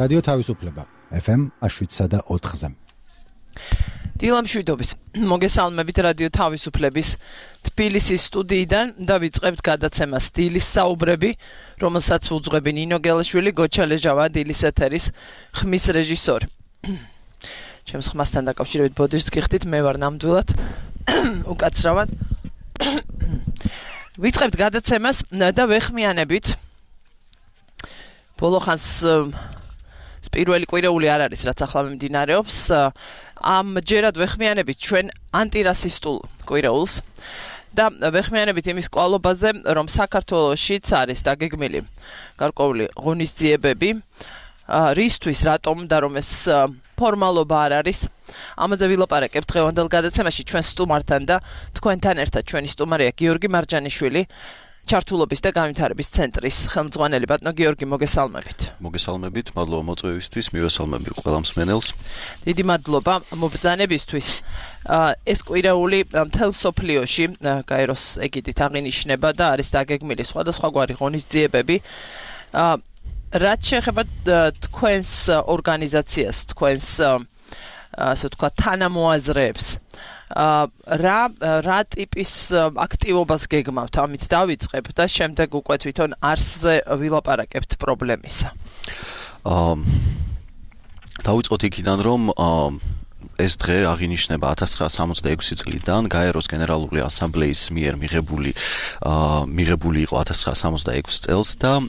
რადიო თავისუფლება FM 7.4-ზე. დილამშვიდობის მოგესალმებით რადიო თავისუფლების თბილისის სტუდიიდან და ვიწყებთ გადაცემას დილის საუბრები, რომელსაც უძღვები ნინო გელაშვილი, გოჩა ლეჟავა, დილის ეთერის ხმის რეჟისორი. ჩემს ხმასთან დაკავშირებით ბოდიშს გიხდით, მე ვარ ნამდვილად უკაცრავად. ვიწყებთ გადაცემას და ვეხმიანებით ბოლოხანს პირველი კვირეული არ არის, რაც ახლა მიმდინარეობს. ამჯერად ვეხმიანებით ჩვენ ანტირასისტულ კვირეულს და ვეხმიანებით იმის კვალობაზე, რომ საქართველოშიც არის დაგეგმილი გარკვეული ღონისძიებები, რისთვის, რატომ და რომ ეს ფორმალობა არ არის. ამაზე ვილაპარაკებთ დღევანდელ გადაცემაში ჩვენ სტუმართან და თქვენთან ერთად. ჩვენი სტუმარია გიორგი მარჯანიშვილი, ჩართულობის და განვითარების ცენტრის ხელმძღვანელი. ბატონო გიორგი, მოგესალმებით. მოგესალმებით, მადლობა მოწვევისთვის, მივესალმები ყველა მსმენელს. დიდი მადლობა მობრძანებისთვის. ეს კვირეული მთელ მსოფლიოში გაეროს ეგიდით აღინიშნება და არის დაგეგმილი სხვადასხვაგვარი ღონისძიებები. რაც შეეხება თქვენს ორგანიზაციას, თქვენს ასე ვთქვათ თანამოაზრეებს, რა ტიპის აქტივობას გეგმავთ? ამით დავიწყებ და შემდეგ უკვე თვითონ არსზე ვილაპარაკებთ პრობლემისა. დავიწყოთ იქიდან, რომ ეს დღე აღინიშნება 1966 წლიდან გაეროს გენერალური ასამბლეის მიერ მიღებული იყო 1966 წელს და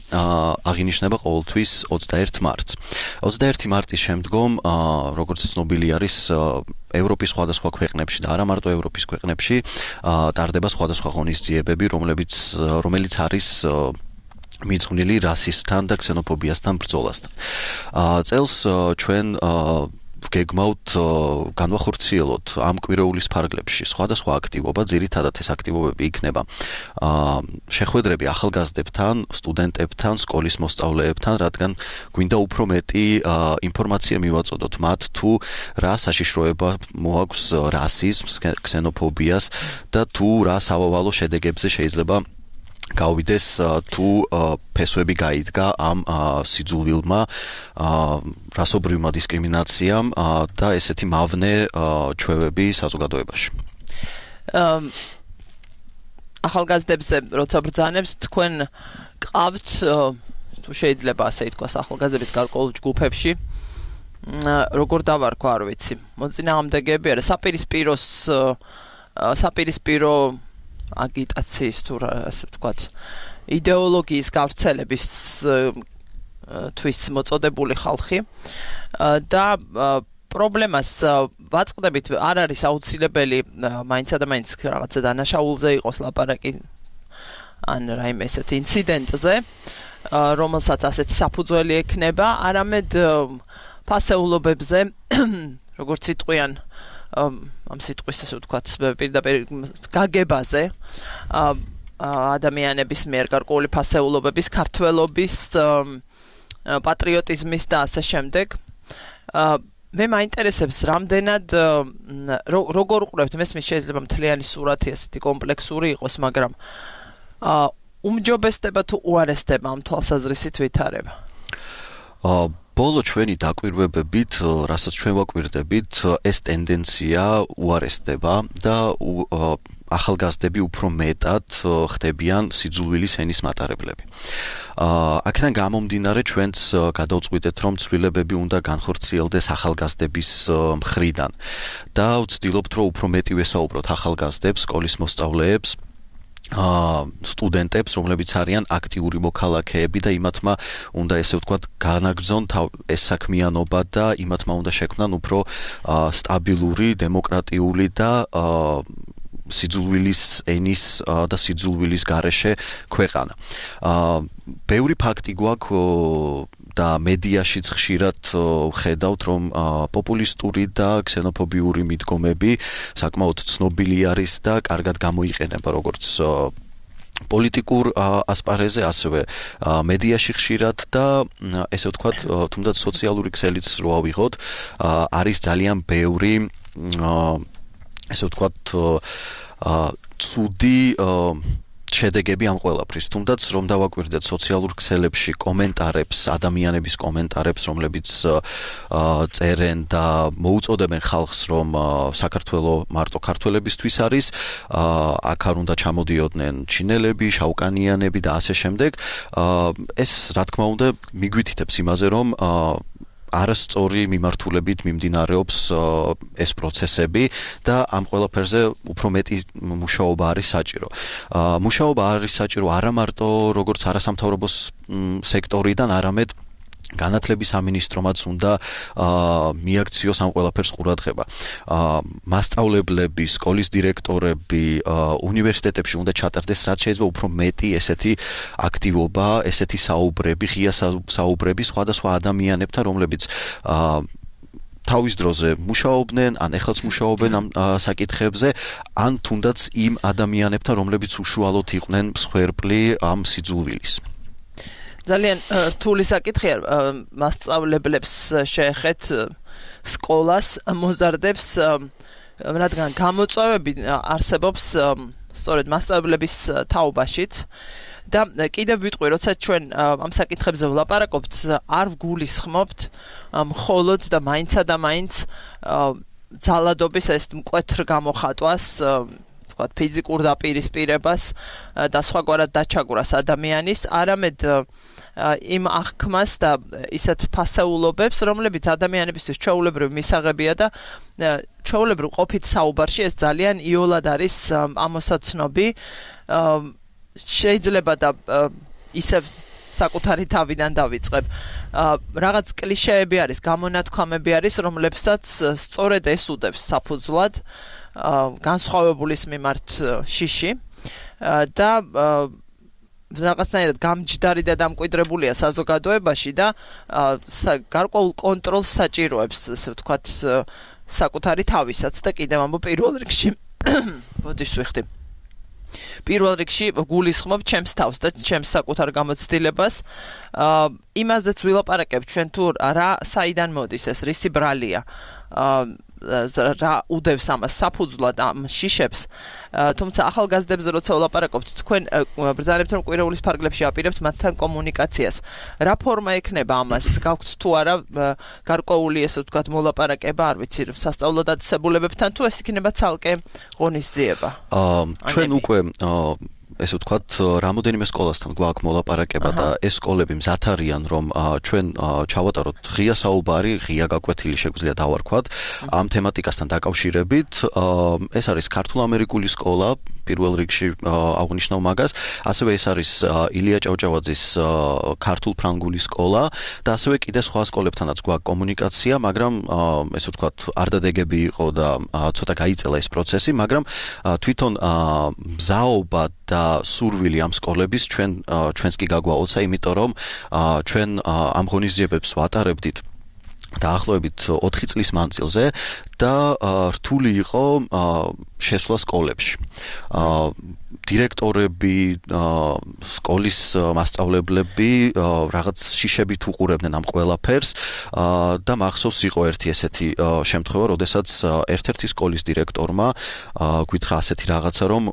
აღინიშნება ყოველთვის 21 მარტს. 21 მარტის შემდგომ, როგორც ცნობილი არის, ევროპის სხვადასხვა ქვეყნებში და არა მარტო ევროპის ქვეყნებში ტარდება სხვადასხვა ღონისძიებები, რომელიც არის მიძღვნილი რასიზმთან და ქსენოფობიასთან ბრძოლასთან. წელს ჩვენ გეგმავთ განვახორციელოთ ამ კვირეულის ფარგლებში სხვადასხვა აქტივობა, ძირითადად ეს აქტივობები იქნება შეხვედრები ახალგაზრდებთან, სტუდენტებთან, სკოლის მოსწავლეებთან, რადგან გვინდა უფრო მეტი ინფორმაცია მივაწოდოთ მათ თუ რა საშიშროება მოაქვს რასიზმს, ქსენოფობიას და თუ რა სავავალო შედეგებზე შეიძლება გავიდეს თუ ფესვები გაიდგა ამ სიძულვილმა, რასობრივმა დისკრიმინაციამ და ესეთი მავნე ჩვევები საზოგადოებაში. ახალგაზრდებზე როცა ბრძანებს, თქვენ ყავთ, თუ შეიძლება ასე ითქვას, ახალგაზრდების გარკვეულ ჯგუფებში, როგორ დავარქვა, არ ვიცი, მოწინააღმდეგეები არა, საპირისპირო აგიტაციის თუ ასე ვთქვათ, იდეოლოგიის გავრცელების თვის მოწოდებული ხალხი და პრობლემას ვაწყდებით, არ არის აუცილებელი მაინცსა და მაინც რაღაცა დანაშაულზე იყოს ლაპარაკი ან რაიმე ესეთი ინციდენტზე, რომელსაც ასეთი საფუძველი ექნება, არამედ ფასეულობებზე, როგორც იტყვიან ამ სიტყვის ასე ვთქვათ, პირდაპირ გაგებაზე ადამიანების მიერ გარკვეული ფასეულობების, ქართველობის, პატრიოტიზმის და ასე შემდეგ. მე მაინტერესებს რამდენად როგორ უყურებთ, მესმის შეიძლება მთლიანი სურათი ასეთი კომპლექსური იყოს, მაგრამ უმჯობესდება თუ უარესდება ამ თვალსაზრისით ვითარება? ბოლო ჩვენი დაკვირვებებით, რასაც ჩვენ ვაკვირდებით, ეს ტენდენცია უარესდება და ახალგაზრდები უფრო მეტად ხდებიან სიძულვილის ენის მატარებლები. აქედან გამომდინარე ჩვენც გადავწყვიტეთ, რომ ცვლილებები უნდა განხორციელდეს ახალგაზრდების მხრიდან და ვცდილობთ, რომ უფრო მეტი ვესაუბროთ ახალგაზრდებს, სკოლის მოსწავლეებს, სტუდენტებს, რომლებიც არიან აქტიური მოქალაქეები და იმათმა უნდა ესე ვთქვათ განაგრძონ ეს საქმიანობა და იმათმა უნდა შექმნან უფრო სტაბილური, დემოკრატიული და სიძულვილის ენის და სიძულვილის გარეშე ქვეყანა. ბევრი ფაქტი გვაქვს და მედიაშიც ხშირად ხედავთ, რომ პოპულისტური და ქსენოფობიური მიდგომები საკმაოდ ცნობილი არის და კარგად გამოიყენება როგორც პოლიტიკურ ასპარეზზე, ასევე მედიაში ხშირად და ესე ვთქვათ, თუნდაც სოციალური ქსელიც რო ავიღოთ, არის ძალიან ბევრი ესე ვთქვათ, ცუდი შედეგები ამ ყველაფრის. თუნდაც რომ დავაკვირდეთ სოციალურ ქსელებში კომენტარებს, ადამიანების კომენტარებს, რომლებიც წერენ და მოუწოდებენ ხალხს, რომ საქართველო მარტო ქართველებისთვის არის, აქ არ უნდა ჩამოდიოდნენ ჩინელები, შავკანიანები და ასე შემდეგ. ეს რა თქმა უნდა მიგვითითებს იმაზე, რომ არასწორი მიმართულებით მიმდინარეობს ეს პროცესები და ამ ყველაფერზე უფრო მეტი მუშაობა არის საჭირო. მუშაობა არის საჭირო არა მარტო როგორც არასამთავრობო სექტორიდან, არამედ განათლების სამინისტრომაც უნდა მიაქციოს ამ ყველაფერს ყურადღება. მასწავლებლები, სკოლის დირექტორები, უნივერსიტეტებში უნდა ჩატარდეს რაც შეიძლება უფრო მეტი ესეთი აქტივობა, ესეთი საუბრები, ღია საუბრები სხვადასხვა ადამიანებთან, რომლებიც თავის დროზე მუშაობდნენ, ან ეხლაც მუშაობენ ამ საკითხებზე, ან თუნდაც იმ ადამიანებთან, რომლებიც უშუალოდ იყვნენ მსხვერპლი ამ სიძულვილის. ძალიან რთული საკითხია მასწავლებლებს შეეხეთ სკოლას მოზარდებს, რადგან გამოწვევები არსებობს სწორედ მასწავლებლების თაობაშიც და კიდევ ვიტყვი, როცა ჩვენ ამ საკითხებზე ვლაპარაკობთ, არ ვგულისხმობთ მხოლოდ და მაინცა და მაინც ძალადობის ეს მკვეთრ გამოხატვას, თქვათ ფიზიკურ დაპირისპირებას და სხვაგვარად დაჩაგვრას ადამიანის, არამედ იმ აღქმას და ისეთ ფასეულობებს, რომლებიც ადამიანებისთვის ჩვეულებრივ მისაღებია და ჩვეულებრივ ყოფით საუბარში ეს ძალიან იოლად არის ამოსაცნობი. შეიძლება და ისევ საკუთარი თავიდან დავიწყებ. რაღაც კლიშეები არის, გამონათქვამები არის, რომლებსაც სწორედ ეს უდევს საფუძვლად განსხვავებულის მიმართ შიში და რაღაცნაირად გამჯდარი და დამკვიდრებულია საზოგადოებაში და გარკვეულ კონტროლს საჭიროებს, ასე ვთქვათ, საკუთარი თავისაც და კიდევ ამბობ პირველ რიგში ბოდიშ ვიხდი. პირველ რიგში გულისხმობ ჩემს თავს და ჩემს საკუთარ გამოცდილებას. იმაზეც ვილაპარაკებ ჩვენ თუ რა საიდან მოდის ეს, რისი ბრალია. რა უდევს ამას საფუძვლად ამ შიშებს, თუმცა ახალგაზრდებზე როცა ვლაპარაკობთ, თქვენ ბრძანებთ რომ კვირეულის ფარგლებში აპირებთ მათთან კომუნიკაციას. რა ფორმა ექნება ამას? გაქვთ თუ არა გარკვეული ესე ვთქვათ მოლაპარაკება, არ ვიცი, სასწავლო დაწესებულებებთან თუ ეს იქნება ცალკე ღონისძიება? ჩვენ უკვე ესე ვთქვათ, რამოდენიმე სკოლასთან გვაქვს მოლაპარაკება და ეს სკოლები მზად არიან, რომ ჩვენ ჩავატაროთ ღია საუბარი, ღია გაკვეთილი შეგვიძლია დავარქვათ ამ თემატიკასთან დაკავშირებით. ეს არის ქართულ-ამერიკული სკოლა, პირველ რიგში აღნიშნავ მაგას, ასევე ეს არის ილია ჭავჭავაძის ქართულ-ფრანგული სკოლა და ასევე კიდე სხვა სკოლებთანაც გვაქვს კომუნიკაცია, მაგრამ ესე ვთქვათ, არ დადეგები იყო და ცოტა გაიწელა ეს პროცესი, მაგრამ თვითონ მზაობა და სურვილი ამ სკოლების ჩვენს კი გაგვაოცა, იმიტომ რომ ჩვენ ამ ღონისძიებებს ვატარებდით დაახლოებით 4 წლის მანძილზე და რთული იყო შესვლა სკოლებში. დირექტორები, სკოლის მასწავლებლები რაღაც შიშებით უყურებდნენ ამ ყველაფერს და მახსოვს იყო ერთი ესეთი შემთხვევა, როდესაც ერთ-ერთი სკოლის დირექტორმა გითხრა ასეთი რაღაცა, რომ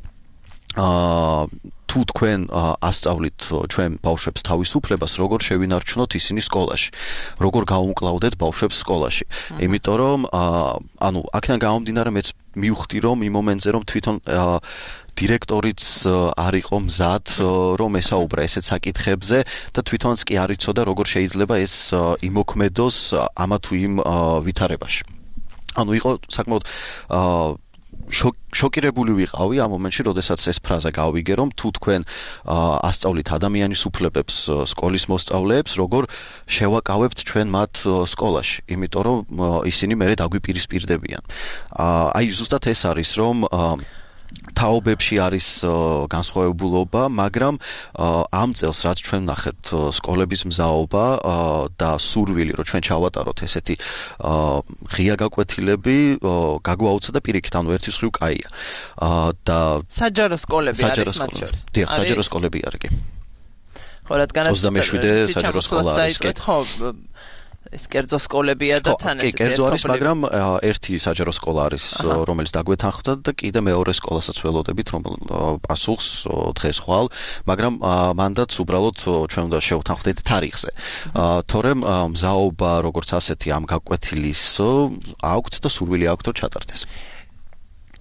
თუ თქვენ ასწავლით ჩვენ ბავშვებს თავისუფლებას, როგორ შევინარჩუნოთ ისინი სკოლაში, როგორ გაუმკლავდეთ ბავშვებს სკოლაში. იმიტომ რომ ანუ აქედან გამომდინარე მეც მივხვდი რომ იმ მომენტზე რომ თვითონ დირექტორიც არ იყო მზად რომ ესაუბრა ესეთ საკითხებზე და თვითონაც კი არ იცოდა როგორ შეიძლება ეს იმოქმედოს ამა თუ იმ ვითარებაში. ანუ იყო საკმაოდ შოკირებული ვიყავი ამ მომენტში, როდესაც ეს ფრაზა გავიგე, რომ თუ თქვენ ასწავლით ადამიანის უფლებებს სკოლის მოსწავლეებს, როგორ შევაკავებთ ჩვენ მათ სკოლაში, იმიტომ რომ ისინი მერე დაგვიპირისპირდებიან. აი ზუსტად ეს არის, რომ თაობებში არის განსხვავებულობა, მაგრამ ამ წელს რაც ჩვენ ნახეთ სკოლების მზაობა და სურვილი, რომ ჩვენ ჩავატაროთ ესეთი ღია გაკვეთილები, გაგვაუცა და პირიქით, ანუ ერთის მხრივ კაია. და საჯარო სკოლები არის მათ შორის. დიახ, საჯარო სკოლები არის კი. ხო, რადგანაც 27 საჯარო სკოლა არის კი. ხო, ეს კერძო სკოლებია და თან ესეთი კერძო არის, მაგრამ ერთი საჯარო სკოლა არის, რომელიც დაგვეთანხმდა და კიდე მეორე სკოლასაც ველოდებით, რომ პასუხს დღეს ხვალ, მაგრამ მანდაც უბრალოდ ჩვენ უნდა შევთანხმდეთ თარიღზე. თორემ მზაობა როგორც ასეთი ამ გაკვეთილის აქვთ და სურვილი აქვთ რომ ჩატარდეს.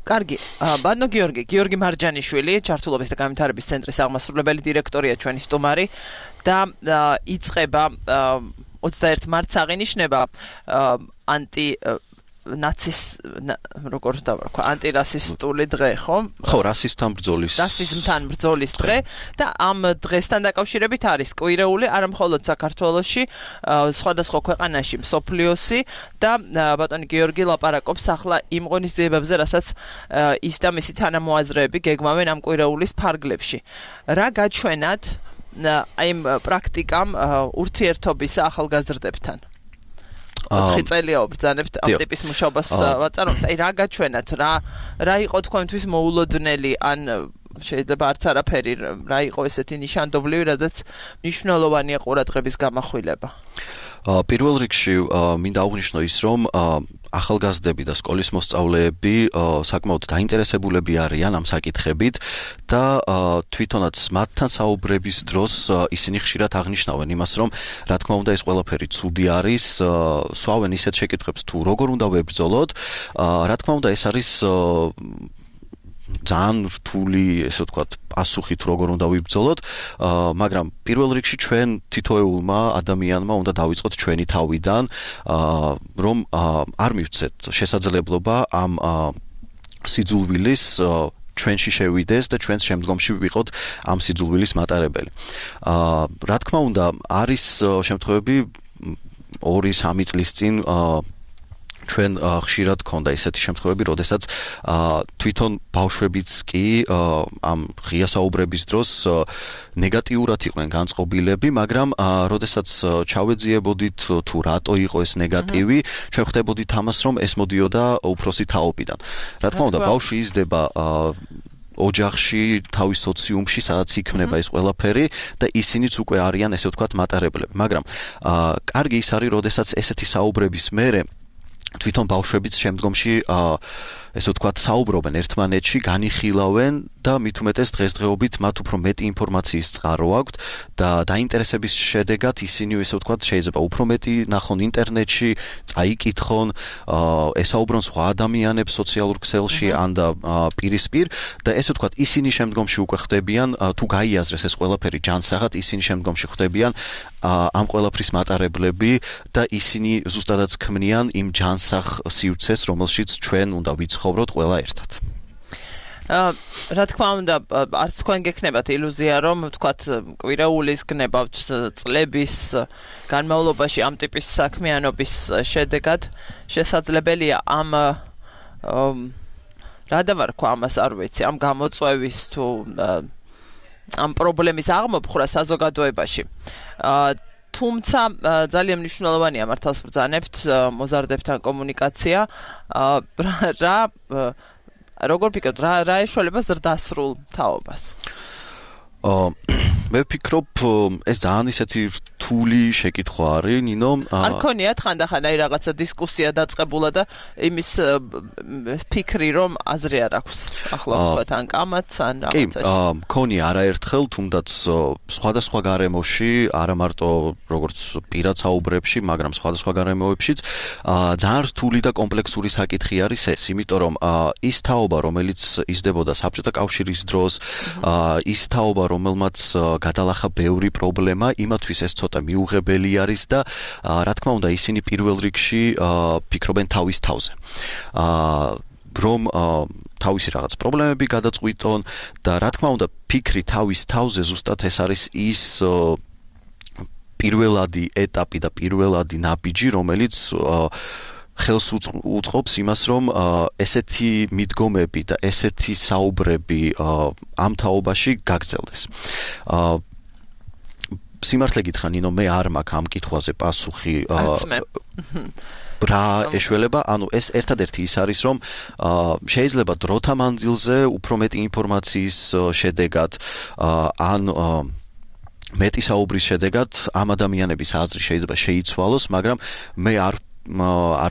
კარგი, ბატონო გიორგი მარჯანიშვილი, ჩართულობის და განვითარების ცენტრის აღმასრულებელი დირექტორია ჩვენი სტუმარი და იწყება 21 მარტს აღინიშნება ანტირასისტული დღე, ხო? ხო, რასიზმთან ბრძოლის დღე და ამ დღესთან დაკავშირებით არის კვირეული არა მხოლოდ საქართველოში, სხვადასხვა ქვეყანაში მსოფლიოსი და ბატონი გიორგი ლაპარაკობს ახლა იმ ღონისძიებებზე, რასაც ის და მისი თანამოაზრეები გეგმავენ ამ კვირეულის ფარგლებში. რა გაჩვენათ აი პრაქტიკამ ურთიერთობის ახალგაზრდებთან? 4 წელია ვბრძანებთ ამ ტიპის მუშაობას ვაწარმოებთ. აი რა გაჩვენათ, რა იყო თქვენთვის მოულოდნელი, ან შეიძლება არც არაფერი, რა იყო ესეთი ნიშანდობლივი, რადგან მნიშვნელოვანია ყურადღების გამახვილება. პირველ რიგში მინდა აღვნიშნო ის, რომ ახალგაზრდები და სკოლის მოსწავლეები საკმაოდ დაინტერესებულები არიან ამ საკითხებით და თვითონაც მათთან საუბრების დროს ისინი ხშირად აღნიშნავენ იმას, რომ რა თქმა უნდა ეს ყველაფერი ცუდი არის, სვავენ ისეთ შეკითხვებს თუ როგორ უნდა ვებრძოლოთ, რა თქმა უნდა ეს არის ძალიან რთული, ესე ვთქვათ, პასუხი თუ როგორ უნდა ვიბრძოლოთ, მაგრამ პირველ რიგში ჩვენ თითოეულმა ადამიანმა უნდა დავიწყოთ ჩვენი თავიდან, რომ არ მივცეთ შესაძლებლობა ამ სიძულვილის ჩვენში შევიდეს და ჩვენს შემდგომში ვიყოთ ამ სიძულვილის მატარებელი. რა თქმა უნდა, არის შემთხვევები 2-3 წლის წინ ჩვენ ხშირად გქონდა ესეთი შემთხვევები, როდესაც თვითონ ბავშვებიც კი ამ ღია საუბრების დროს ნეგატიურად იყვნენ განწყობილები, მაგრამ როდესაც ჩავეძიებოდით თუ რატო იყო ეს ნეგატივი, ჩვენ ხვდებოდით ამას, რომ ეს მოდიოდა უფროსი თაობიდან. რა თქმა უნდა, ბავშვი იზრდება ოჯახში, თავის სოციუმში, სადაც იქმნება ეს ყველაფერი და ისინიც უკვე არიან, ესე ვთქვათ, მატარებლები. მაგრამ კარგი ის არის, როდესაც ესეთი საუბრების მერე თვითონ ბავშვებიც შემდგომში ესე ვთქვათ საუბრობენ ერთმანეთში, განიხილავენ და მით უმეტეს დღესდღეობით მათ უფრო მეტი ინფორმაციის წყარო აქვთ და დაინტერესების შედეგად ისინი ესე ვთქვათ შეიძლება უფრო მეტი ნახონ ინტერნეტში, წაიკითხონ, ესაუბრონ სხვა ადამიანებს სოციალურ ქსელში ან და პირისპირ და ესე ვთქვათ ისინი შემდგომში უკვე ხდებიან თუ გაიაზრეს ეს ყველაფერი ჯანსაღად, ისინი შემდგომში ხდებიან ამ ყველაფრის მატარებლები და ისინი ზუსტადაც ქმნიან იმ ჯანსაღ სივრცეს, რომელშიც ჩვენ უნდა ვიცხოვროთ ყველა ერთად. რა თქმა უნდა, არც თქვენ გექნებათ ილუზია, რომ თქვათ კვირეულის გნებავთ წლების განმავლობაში ამ ტიპის საქმიანობის შედეგად შესაძლებელია ამ რა დავარქვა ამას არ ვიცი, ამ გამოწვევის თუ ამ პრობლემის აღმოფხვრა საზოგადოებაში. თუმცა ძალიან მნიშვნელოვანია მართალს ბრძანებთ მოზარდებთან კომუნიკაცია. როგორ ფიქრობთ, რა ეშველება ზრდასრულ თაობას? მე ვფიქრობ, ეს ძალიან ისეთი რთული შეკითხვა არის, ნინო. არ ქონიათ ხანდახან აი რაღაცა დისკუსია დაწყებულა და იმის ფიქრი, რომ აზრი არ აქვს. ახლა ვთქვათ, ან კამათს, ან რაღაცაში. კი, მქონია არაერთხელ, თუნდაც სხვადასხვა გარემოში, არა მარტო როგორც პირად საუბრებში, მაგრამ სხვადასხვა გარემოებშიც, ძალიან რთული და კომპლექსური საკითხი არის ეს, იმიტომ რომ ის თაობა, რომელიც იზრდებოდა საბჭოთა კავშირის დროს, ის თაობა, რომელმაც გადალახა ბევრი პრობლემა, იმათთვის ეს ცოტა მიუღებელი არის და რა თქმა უნდა ისინი პირველ რიგში ფიქრობენ თავის თავზე. რომ თავისი რაღაც პრობლემები გადაწყვიტონ და რა თქმა უნდა ფიქრი თავის თავზე ზუსტად ეს არის ის პირველადი ეტაპი და პირველადი ნაბიჯი, რომელიც ხელს უწყობს იმას, რომ ესეთი მიდგომები და ესეთი საუბრები ამ თაობაში გაგრძელდეს. სიმართლე გითხრა, ნინო, მე არ მაქვს ამ კითხვაზე პასუხი. რა ეშველება, ანუ ეს ერთადერთი ის არის, რომ შეიძლება დროთა მანძილზე უფრო მეტი ინფორმაციის შედეგად ან მეტი საუბრის შედეგად ამ ადამიანების აზრი შეიძლება შეიცვალოს, მაგრამ მე არ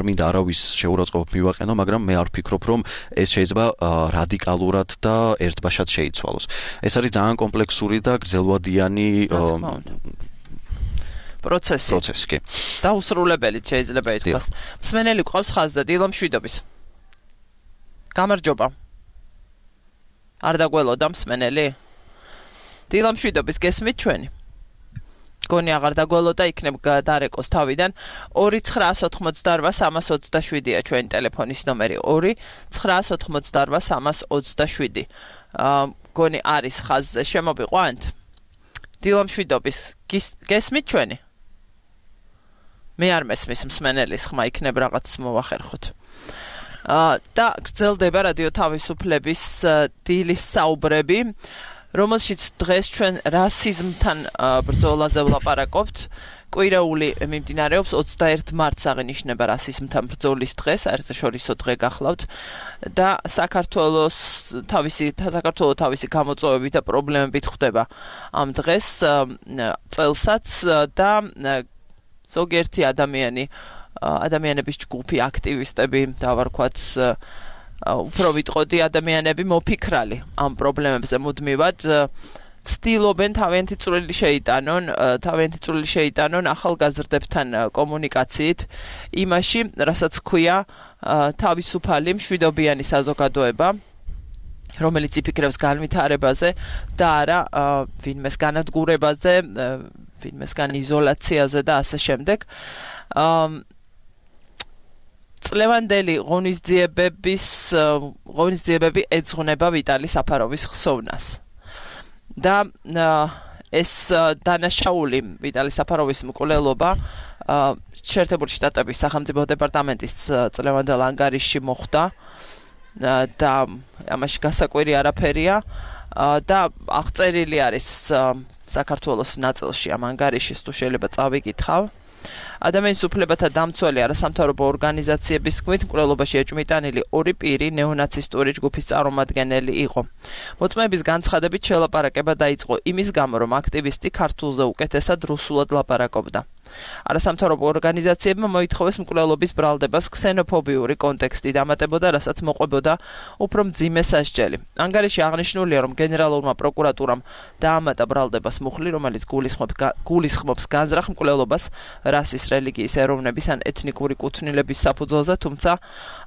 მინდა არავის შეურაცხყოფ მივაყენო, მაგრამ მე არ ვფიქრობ, რომ ეს შეიძლება რადიკალურად და ერთბაშად შეიცვალოს. ეს არის ძალიან კომპლექსური და გრძელვადიანი პროცესი, კი. დაუსრულებელი შეიძლება ითქვას. მსმენელი გვყავს ხაზზე დილამშვიდობის. გამარჯობა. არ დაგველოდა მსმენელი? დილამშვიდობის გესმით ჩვენი? გონი აღარ დაგველოდა, იქნებ დარეკოს თავიდან. 2988327-ია ჩვენი ტელეფონის ნომერი. 2988327. გონი არის ხაზზე, შემოვიყვანთ? დილამშვიდობის გესმით ჩვენი? მე არ მესმის მსმენელის ხმა, იქნებ რაღაც მოვახერხოთ. და გრძელდება რადიო თავისუფლების დილის საუბრები, რომელშიც დღეს ჩვენ რასიზმთან ბრძოლაზე ვლაპარაკობთ. კვირეული მიმდინარეობს 21 მარტს აღინიშნება რასიზმთან ბრძოლის დღე, საერთაშორისო დღე გახლავთ და საქართველოს თავისი გამოწვევებით და პრობლემებით ხვდება ამ დღეს წელსაც და ზოგიერთი ადამიანების ჯგუფი, აქტივისტები, დავარქვათ უფრო ვიტყოდი ადამიანები მოფიქრალი ამ პრობლემებზე მუდმივად ცდილობენ თავიანთი წვლილი შეიტანონ ახალგაზრდებთან კომუნიკაციით იმაში, რასაც ქვია თავისუფალი მშვიდობიანი საზოგადოება, რომელიც იფიქრებს განვითარებაზე და არა ვინმეს განადგურებაზე, ვინმესგან იზოლაციაზე და ასე შემდეგ. წლევანდელი ღონისძიებები ეძღვნება ვიტალი საფაროვის ხსოვნას. და ეს დანაშაული ვიტალი საფაროვის მკვლელობა შეერთებული შტატების სახელმწიფო დეპარტამენტის წლევანდელ ანგარიშში მოხვდა და ამაში გასაკვირი არაფერია და აღწერილი არის საქართველოს ნაწილში ამ ანგარიშის, თუ შეიძლება წავიკითხავ. ადამიანის უფლებათა დამცველი არასამთავრობო ორგანიზაციების თქმით, მკვლელობაში ეჭვმიტანილი 2 პირი ნეონაცისტური ჯგუფის წარმომადგენელი იყო. მოწმეების განცხადებით შელაპარაკება დაიწყო იმის გამო, რომ აქტივისტი ქართულზე უკეთესად რუსულად ლაპარაკობდა. არასამთავრობო ორგანიზაციებმა მოითხოვეს მკვლელობის ბრალდებას ქსენოფობიური კონტექსტი დამატებოდა, რასაც მოყვებოდა უფრო მძიმე სასჯელი. ანგარიში აღნიშნულია, რომ გენერალურმა პროკურატურამ დაამატა ბრალდებას მუხლი, რომელიც გულისხმობს განზრახ მკვლელობას რასის, რელიგიის, ეროვნების ან ეთნიკური კუთვნილების საფუძველზე, თუმცა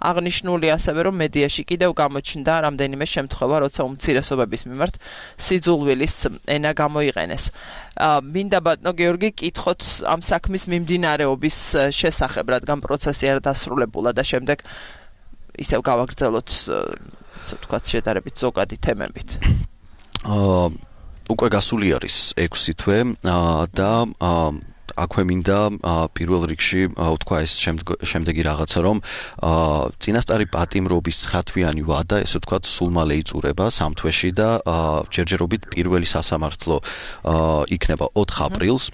აღნიშნული ასევე, რომ მედიაში კიდევ გამოჩნდა რამდენიმე შემთხვევა, როცა უმცირესობების მიმართ სიძულვილის ენა გამოიყენეს. მინდა ბატონო გიორგი კითხოთ ამ საქმის მიმდინარეობის შესახებ, რადგან პროცესი არ დასრულებულა და შემდეგ ისევ გავაგრძელოთ, ასე ვთქვათ, შედარებით ზოგადი თემებით. უკვე გასული არის 6 თვე და აქვე მინდა პირველ რიგში ვთქვა ეს შემდეგი რაღაცა, რომ წინასწარი პატიმრობის 9 თვიანი ვადა, ესე ვთქვათ, სულ მალე იწურება 3 თვეში და ჯერჯერობით პირველი სასამართლო იქნება 4 აპრილს.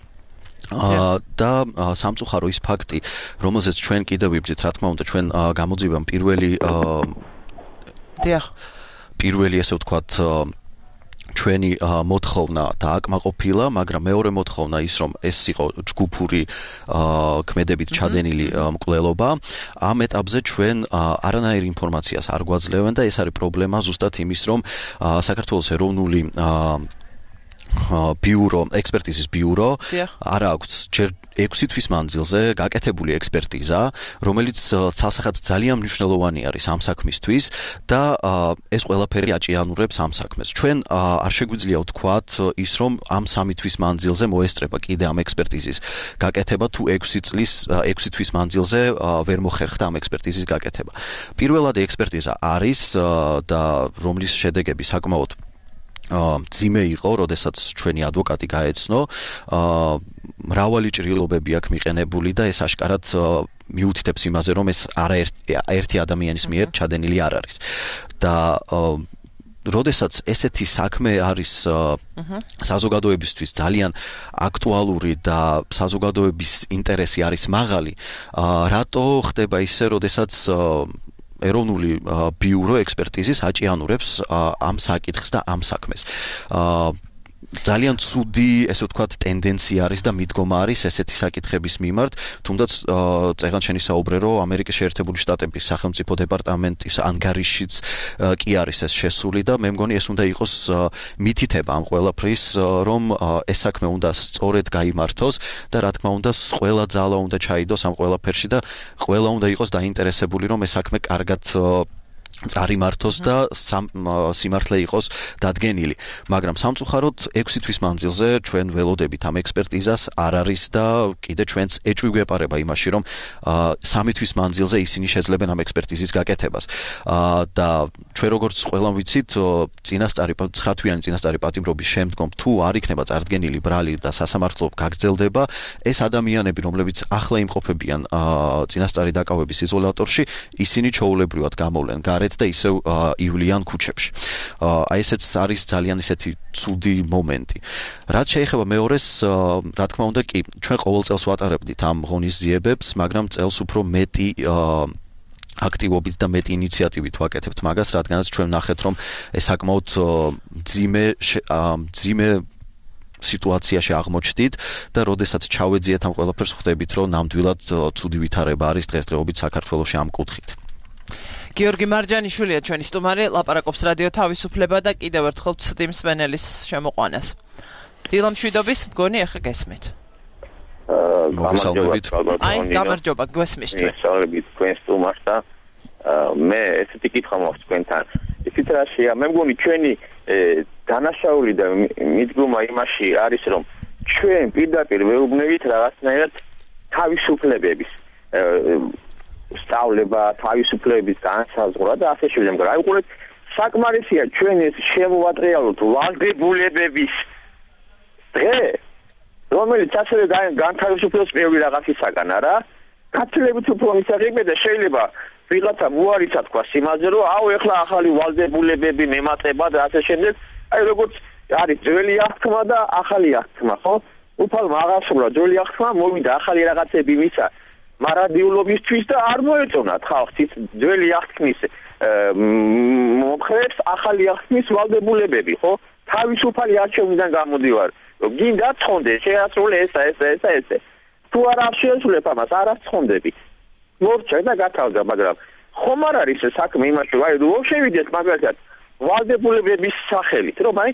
და სამწუხარო ის ფაქტი, რომელზეც ჩვენ კიდევ ვიბრძით, რა თქმა უნდა, ჩვენ გამოძივამ პირველი ესე ვთქვათ ჩვენი მოთხოვნა დააკმაყოფილა, მაგრამ მეორე მოთხოვნა ის, რომ ეს იყო ჯგუფური ქმედებით ჩადენილი მკვლელობა, ამ ეტაპზე ჩვენ არანაირ ინფორმაციას არ გვაძლევენ და ეს არის პრობლემა ზუსტად იმის, რომ საქართველოს ეროვნული ექსპერტიზის ბიურო არ აქვს ჯერ 6 თვის მანძილზე გაკეთებული ექსპერტიზა, რომელიც ცალსახად ძალიან მნიშვნელოვანი არის ამ საქმისთვის და ეს ყველაფერი აჭიანურებს ამ საქმეს. ჩვენ არ შეგვიძლია ვთქვათ ის, რომ ამ 3 თვის მანძილზე მოესწრება კიდე ამ ექსპერტიზის გაკეთება, თუ 6 თვის მანძილზე ვერ მოხერხდა ამ ექსპერტიზის გაკეთება. პირველად ექსპერტიზა არის და რომლის შედეგები საკმაოდ ძიმე იყო, როდესაც ჩვენი ადვოკატი გაეცნო, მრავალი ჭრილობები აქვს მიყენებული და ეს აშკარად მიუთითებს იმაზე, რომ ეს არაერთი ადამიანის მიერ ჩადენილი არ არის. და როდესაც ესეთი საქმე არის საზოგადოებისთვის ძალიან აქტუალური და საზოგადოების ინტერესი არის მაღალი, რატო ხდება ისე, როდესაც ეროვნული ბიურო ექსპერტიზის აჭიანურებს ამ საკითხს და ამ საქმეს. ძალიან ცუდი, ესე ვთქვათ, ტენდენცია არის და მიდგომა არის ესეთი საკითხების მიმართ, თუნდაც წეგან შენი საუბრე, რომ ამერიკის შეერთებული შტატების სახელმწიფო დეპარტამენტის ანგარიშიც კი არის ეს შესული და მე მგონი ეს უნდა იყოს მითითება ამ ყველაფრის, რომ ეს საქმე უნდა სწორედ გაიმართოს და რა თქმა უნდა, ყველა ძალა უნდა ჩაიდოს ამ ყველაფერში და ყველა უნდა იყოს დაინტერესებული, რომ ეს საქმე კარგად წარიმართოს და სიმართლე იყოს დადგენილი. მაგრამ სამწუხაროდ 6 თვის მანძილზე ჩვენ ველოდებით ამ ექსპერტიზას არ არის და კიდე ჩვენც ეჭვი გვეპარება იმაში, რომ 3 თვის მანძილზე ისინი შეძლებენ ამ ექსპერტიზის გაკეთებას. და ჩვენ როგორც ყველამ ვიცით, 9 თვიანი წინასწარი პატიმრობის შემდგომ თუ არ იქნება წარდგენილი ბრალი და სასამართლო გაგრძელდება, ეს ადამიანები, რომლებიც ახლა იმყოფებიან წინასწარი დაკავების იზოლატორში, ისინი ჩაოულებრივად გამოვლენ გარეთ და ისევ ივლიან ქუჩებში. აი ესეც არის ძალიან ისეთი ცუდი მომენტი. რაც შეეხება მეორეს, რა თქმა უნდა, კი, ჩვენ ყოველ წელს ვატარებდით ამ ღონისძიებებს, მაგრამ წელს უფრო მეტი აქტივობით და მეტი ინიციატივით ვაკეთებთ მაგას, რადგანაც ჩვენ ნახეთ, რომ ეს საკმაოდ ძიმე სიტუაციაში აღმოჩნდით და როდესაც ჩავეძიეთ ამ ყველაფერს, ხვდებით, რომ ნამდვილად ცუდი ვითარება არის დღესდღეობით საქართველოში ამ კუთხით. გიორგი მარჯანიშვილია ჩვენი სტუმარი, ლაპარაკობს რადიო თავისუფლება და კიდევ ერთხელ ვცდიმ სმენელის შემოყვანას. დილა მშვიდობის, მგონი ახლა გესმით. მოგესალმებით. აი, გამარჯობა, გვესმის ჩვენ. მოგესალმებით თქვენ სტუმარს და მე ესეთი კითხვა მაქვს თქვენთან. ისიც რაშია, მე მგონი ჩვენი დანაშაული და მიდგომა იმაში არის, რომ ჩვენ პირდაპირ ვეუბნებით რაღაცნაირად თავისუფლებების სწავლება, თავისუფლების განსაზღვრა და ასე შემდეგ. მაგრამ აი უყურეთ, საკმარისია ჩვენ ეს შემოვატრიალოთ ვალდებულებების დღე, რომელიც ასევე განთავისუფლებს ბევრი რაღაცისაგან, არა? გაცილებით უფრო მისაღებია და შეიძლება ვიღაცა მოარიცა თქვა იმაზე, რომ აუ ეხლა ახალი ვალდებულებები მემატება და ასე შემდეგ. აი როგორც არის ძველი აღთქმა და ახალი აღთქმა, ხო? უფალმა აღასრულა ძველი აღთქმა, მოვიდა ახალი რაღაცები მისა მარადიულობისთვის და არ მოეწონათ ხალხს ის ძველი აღთქმის მომხრეებს ახალი აღთქმის ვალდებულებები, ხო? თავისუფალი არჩევნიდან გამოდივარ. რომ გინდა ცხონდე, შეასრულე ესა. თუ არ შეასრულებ ამას, არ ცხონდები. მორჩა და გათავდა, მაგრამ ხომ არ არის საქმე იმაში, რომ აი რომ შევიდეთ მაგალითად ვალდებულებების სახელით, რომ აი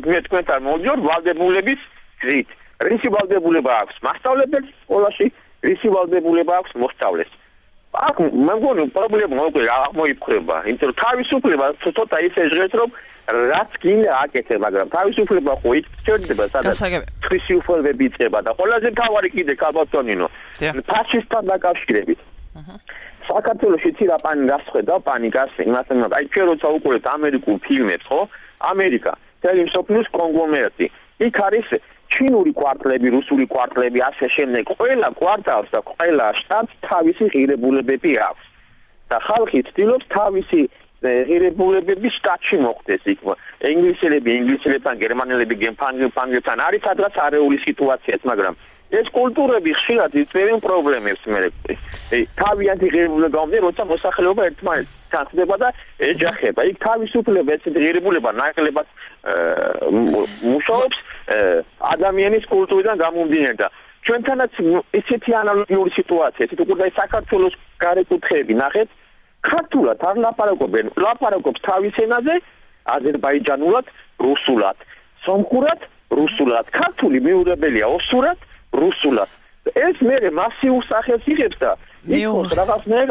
მე თქვენთან მოვიდიო ვალდებულების გზით. რისი ვალდებულება აქვს მასწავლებელს სკოლაში? რისი ვალდებულება აქვს მოსწავლეს. აქ მე მგონი პრობლემა უკვე აღმოიფხრება, იმიტომ რომ თავისუფლება ცოტა ისე ჟღერს, რომ რაც გინდა აკეთე, მაგრამ თავისუფლება ხო იქ ჩერდება, სადაც ხვისი უფლებები იწყება და ყველაზე თავარი კიდე კაბატონინო ფაშისტთან დაკავშირებით. საქართველოში ცირა გასხვედა პანიკას იმასთან, აი ჩვენ როცა უყურებთ ამერიკულ ფილმებს, ხო? ამერიკა, თელი მსოფლიოს კონგლომერატი. იქ არის ჩინური კვარტლები, რუსული კვარტლები, ასე შემდეგ. ყველა კვარტალს და ყველა შტატს თავისი ღირებულებები აქვს. და ხალხი ცდილობს თავისი ღირებულებების შტატში მოხდეს იქ. ინგლისელებთან, გერმანელები გემფანგებთან არის სადღაც არეული სიტუაციაც, მაგრამ ეს კულტურები ხშირად იწერენ პრობლემებს მე. თავიანთი ღირებულება გამომდინარე, როცა მოსახლეობა ერთმანეთთან ხდება და ეჯახება. იქ თავისუფლება, ესეთი ღირებულება ნაკლებად მუშაობს ადამიანის კულტურიდან გამომდინარე და ჩვენთანაც ისეთი ანალოგიური სიტუაცია, ისეთ უკვე საქართველოს გარეკუთხეები ნახეთ, ქართულად არ ლაპარაკობენ, ლაპარაკობს თავის ენაზე, აზერბაიჯანულად, რუსულად, სომხურად, რუსულად, ქართული მიუღებელია ოსურად, რუსულად. ეს მე მასიურ სახელს იღებს და იქოს რაღაცნაირ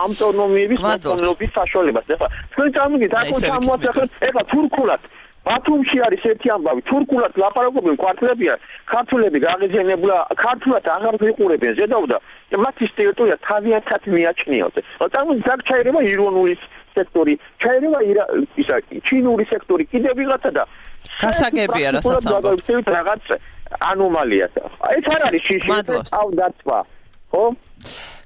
ავტონომიების მოწყობილობის საშუალებას. ეხლა თქვენ წარმოგიდგენთ, აქ ჩამოაცახეთ, ეხლა თურქულად ბათუმში არის ერთი ამბავი, თურქულად ლაპარაკობენ კვარტლებია, ქართულები გაღიზიანებულა, ქართულად აღარ ვიყურებენ ზედაუდა, მათი ტერიტორია თავიანთად მიაჩნიათ. წარმოგიდგენთ, ჩაირება ირონული სექტორი, ჩაირება ჩინური სექტორი, კიდევ ვიღაცა და გასაგებია რასაც ამბობთ. რაღაც ანომალიას. ეს არ არის შიში, ავდაცვა, ხო?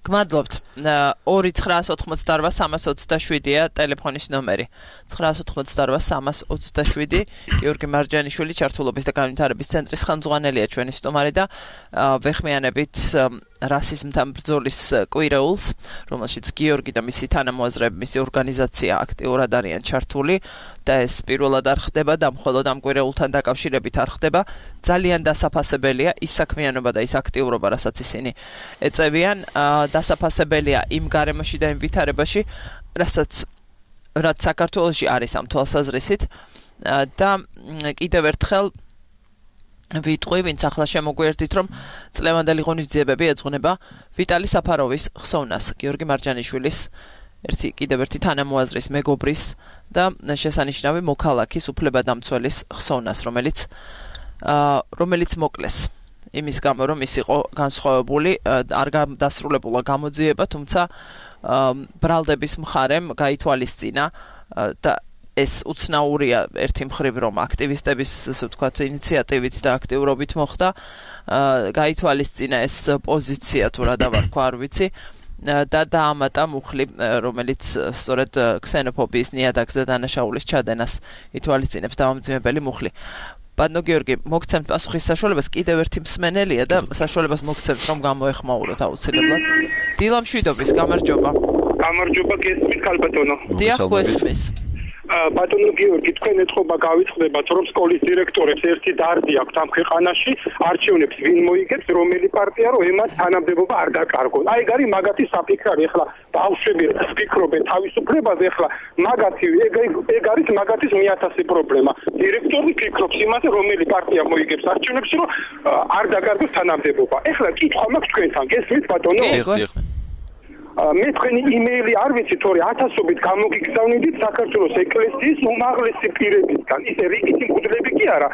გმადლობთ. 2-988-327-ია ტელეფონის ნომერი. 988-327 გიორგი მარჯანიშვილი ჩართულობის და განვითარების ცენტრის ხელმძღვანელია ჩვენი სტუმარი და ვეხმიანებით რასიზმთან ბრძოლის კვირეულს, რომელშიც გიორგი და მისი თანამოაზრეები, მისი ორგანიზაცია აქტიურად არიან ჩართული და ეს პირველად არ ხდება და მხოლოდ ამ კვირეულთან დაკავშირებით არ ხდება. ძალიან დასაფასებელია ის საქმიანობა და ის აქტიურობა, რასაც ისინი ეწევიან, დასაფასებელია იმ გარემოში და იმ ვითარებაში, რაც საქართველოში არის ამ თვალსაზრისით და კიდევ ერთხელ ვიტყვი, ვინც ახლა შემოგვიერთით, რომ წლევანდელი ღონისძიებები ეძღვნება ვიტალი საფაროვის ხსოვნას, გიორგი მარჯანიშვილის კიდევ ერთი თანამოაზრის, მეგობრის და შესანიშნავი მოქალაქის, უფლებადამცველის ხსოვნას, რომელიც მოკლეს. იმის გამო, რომ ის იყო განსხვავებული, არ დასრულებულა გამოძიება, თუმცა ბრალდების მხარემ გაითვალისწინა და ეს უცნაურია ერთი მხრივ, რომ აქტივისტების, ასე ვთქვათ, ინიციატივით და აქტიურობით მოხდა, გაითვალისწინა ეს პოზიცია თუ რა დავარქვა, არ ვიცი, და დაამატა მუხლი, რომელიც სწორედ ქსენოფობიის ნიადაგს და დანაშაულის ჩადენას ითვალისწინებს დამამძიმებელი მუხლი. ბატონო გიორგი, მოგცემთ პასუხის საშუალებას, კიდევ ერთი მსმენელია და საშუალებას მოგცემთ, რომ გამოეხმაუროთ აუცილებლად. დილა მშვიდობის, გამარჯობა. გამარჯობა, გესმით, ქალბატონო. დიახ, გესმის. ბატონო გიორგი, თქვენ ეთყობა გავიწყდებათ, რომ სკოლის დირექტორებს ერთი დარდი აქვს ამ ქვეყანაში, არჩევნებს ვინ მოიგებს, რომელი პარტია, რომ ემას თანამდებობა არ დაკარგონ. აი, გარი მაგათი საფიქრარი, ეხლა ბავშვები ფიქრობენ თავისუფლებაზე, ეხლა მაგათი ეგ არის მაგათის 1000 პრობლემა. დირექტორი ფიქრობს იმაზე, რომელი პარტია მოიგებს არჩევნებს, რომ არ დაკარგოს თანამდებობა. ეხლა კითხვა მაქვს თქვენთან, გესმით ბატონო? მე თქვენი იმეილი არ ვიცი, თორე ათასობით გამოგიგზავნიდით საქართველოს ეკლესიის უმაღლესი პირებისგან. ისე რიგითი მღვდლები კი არა,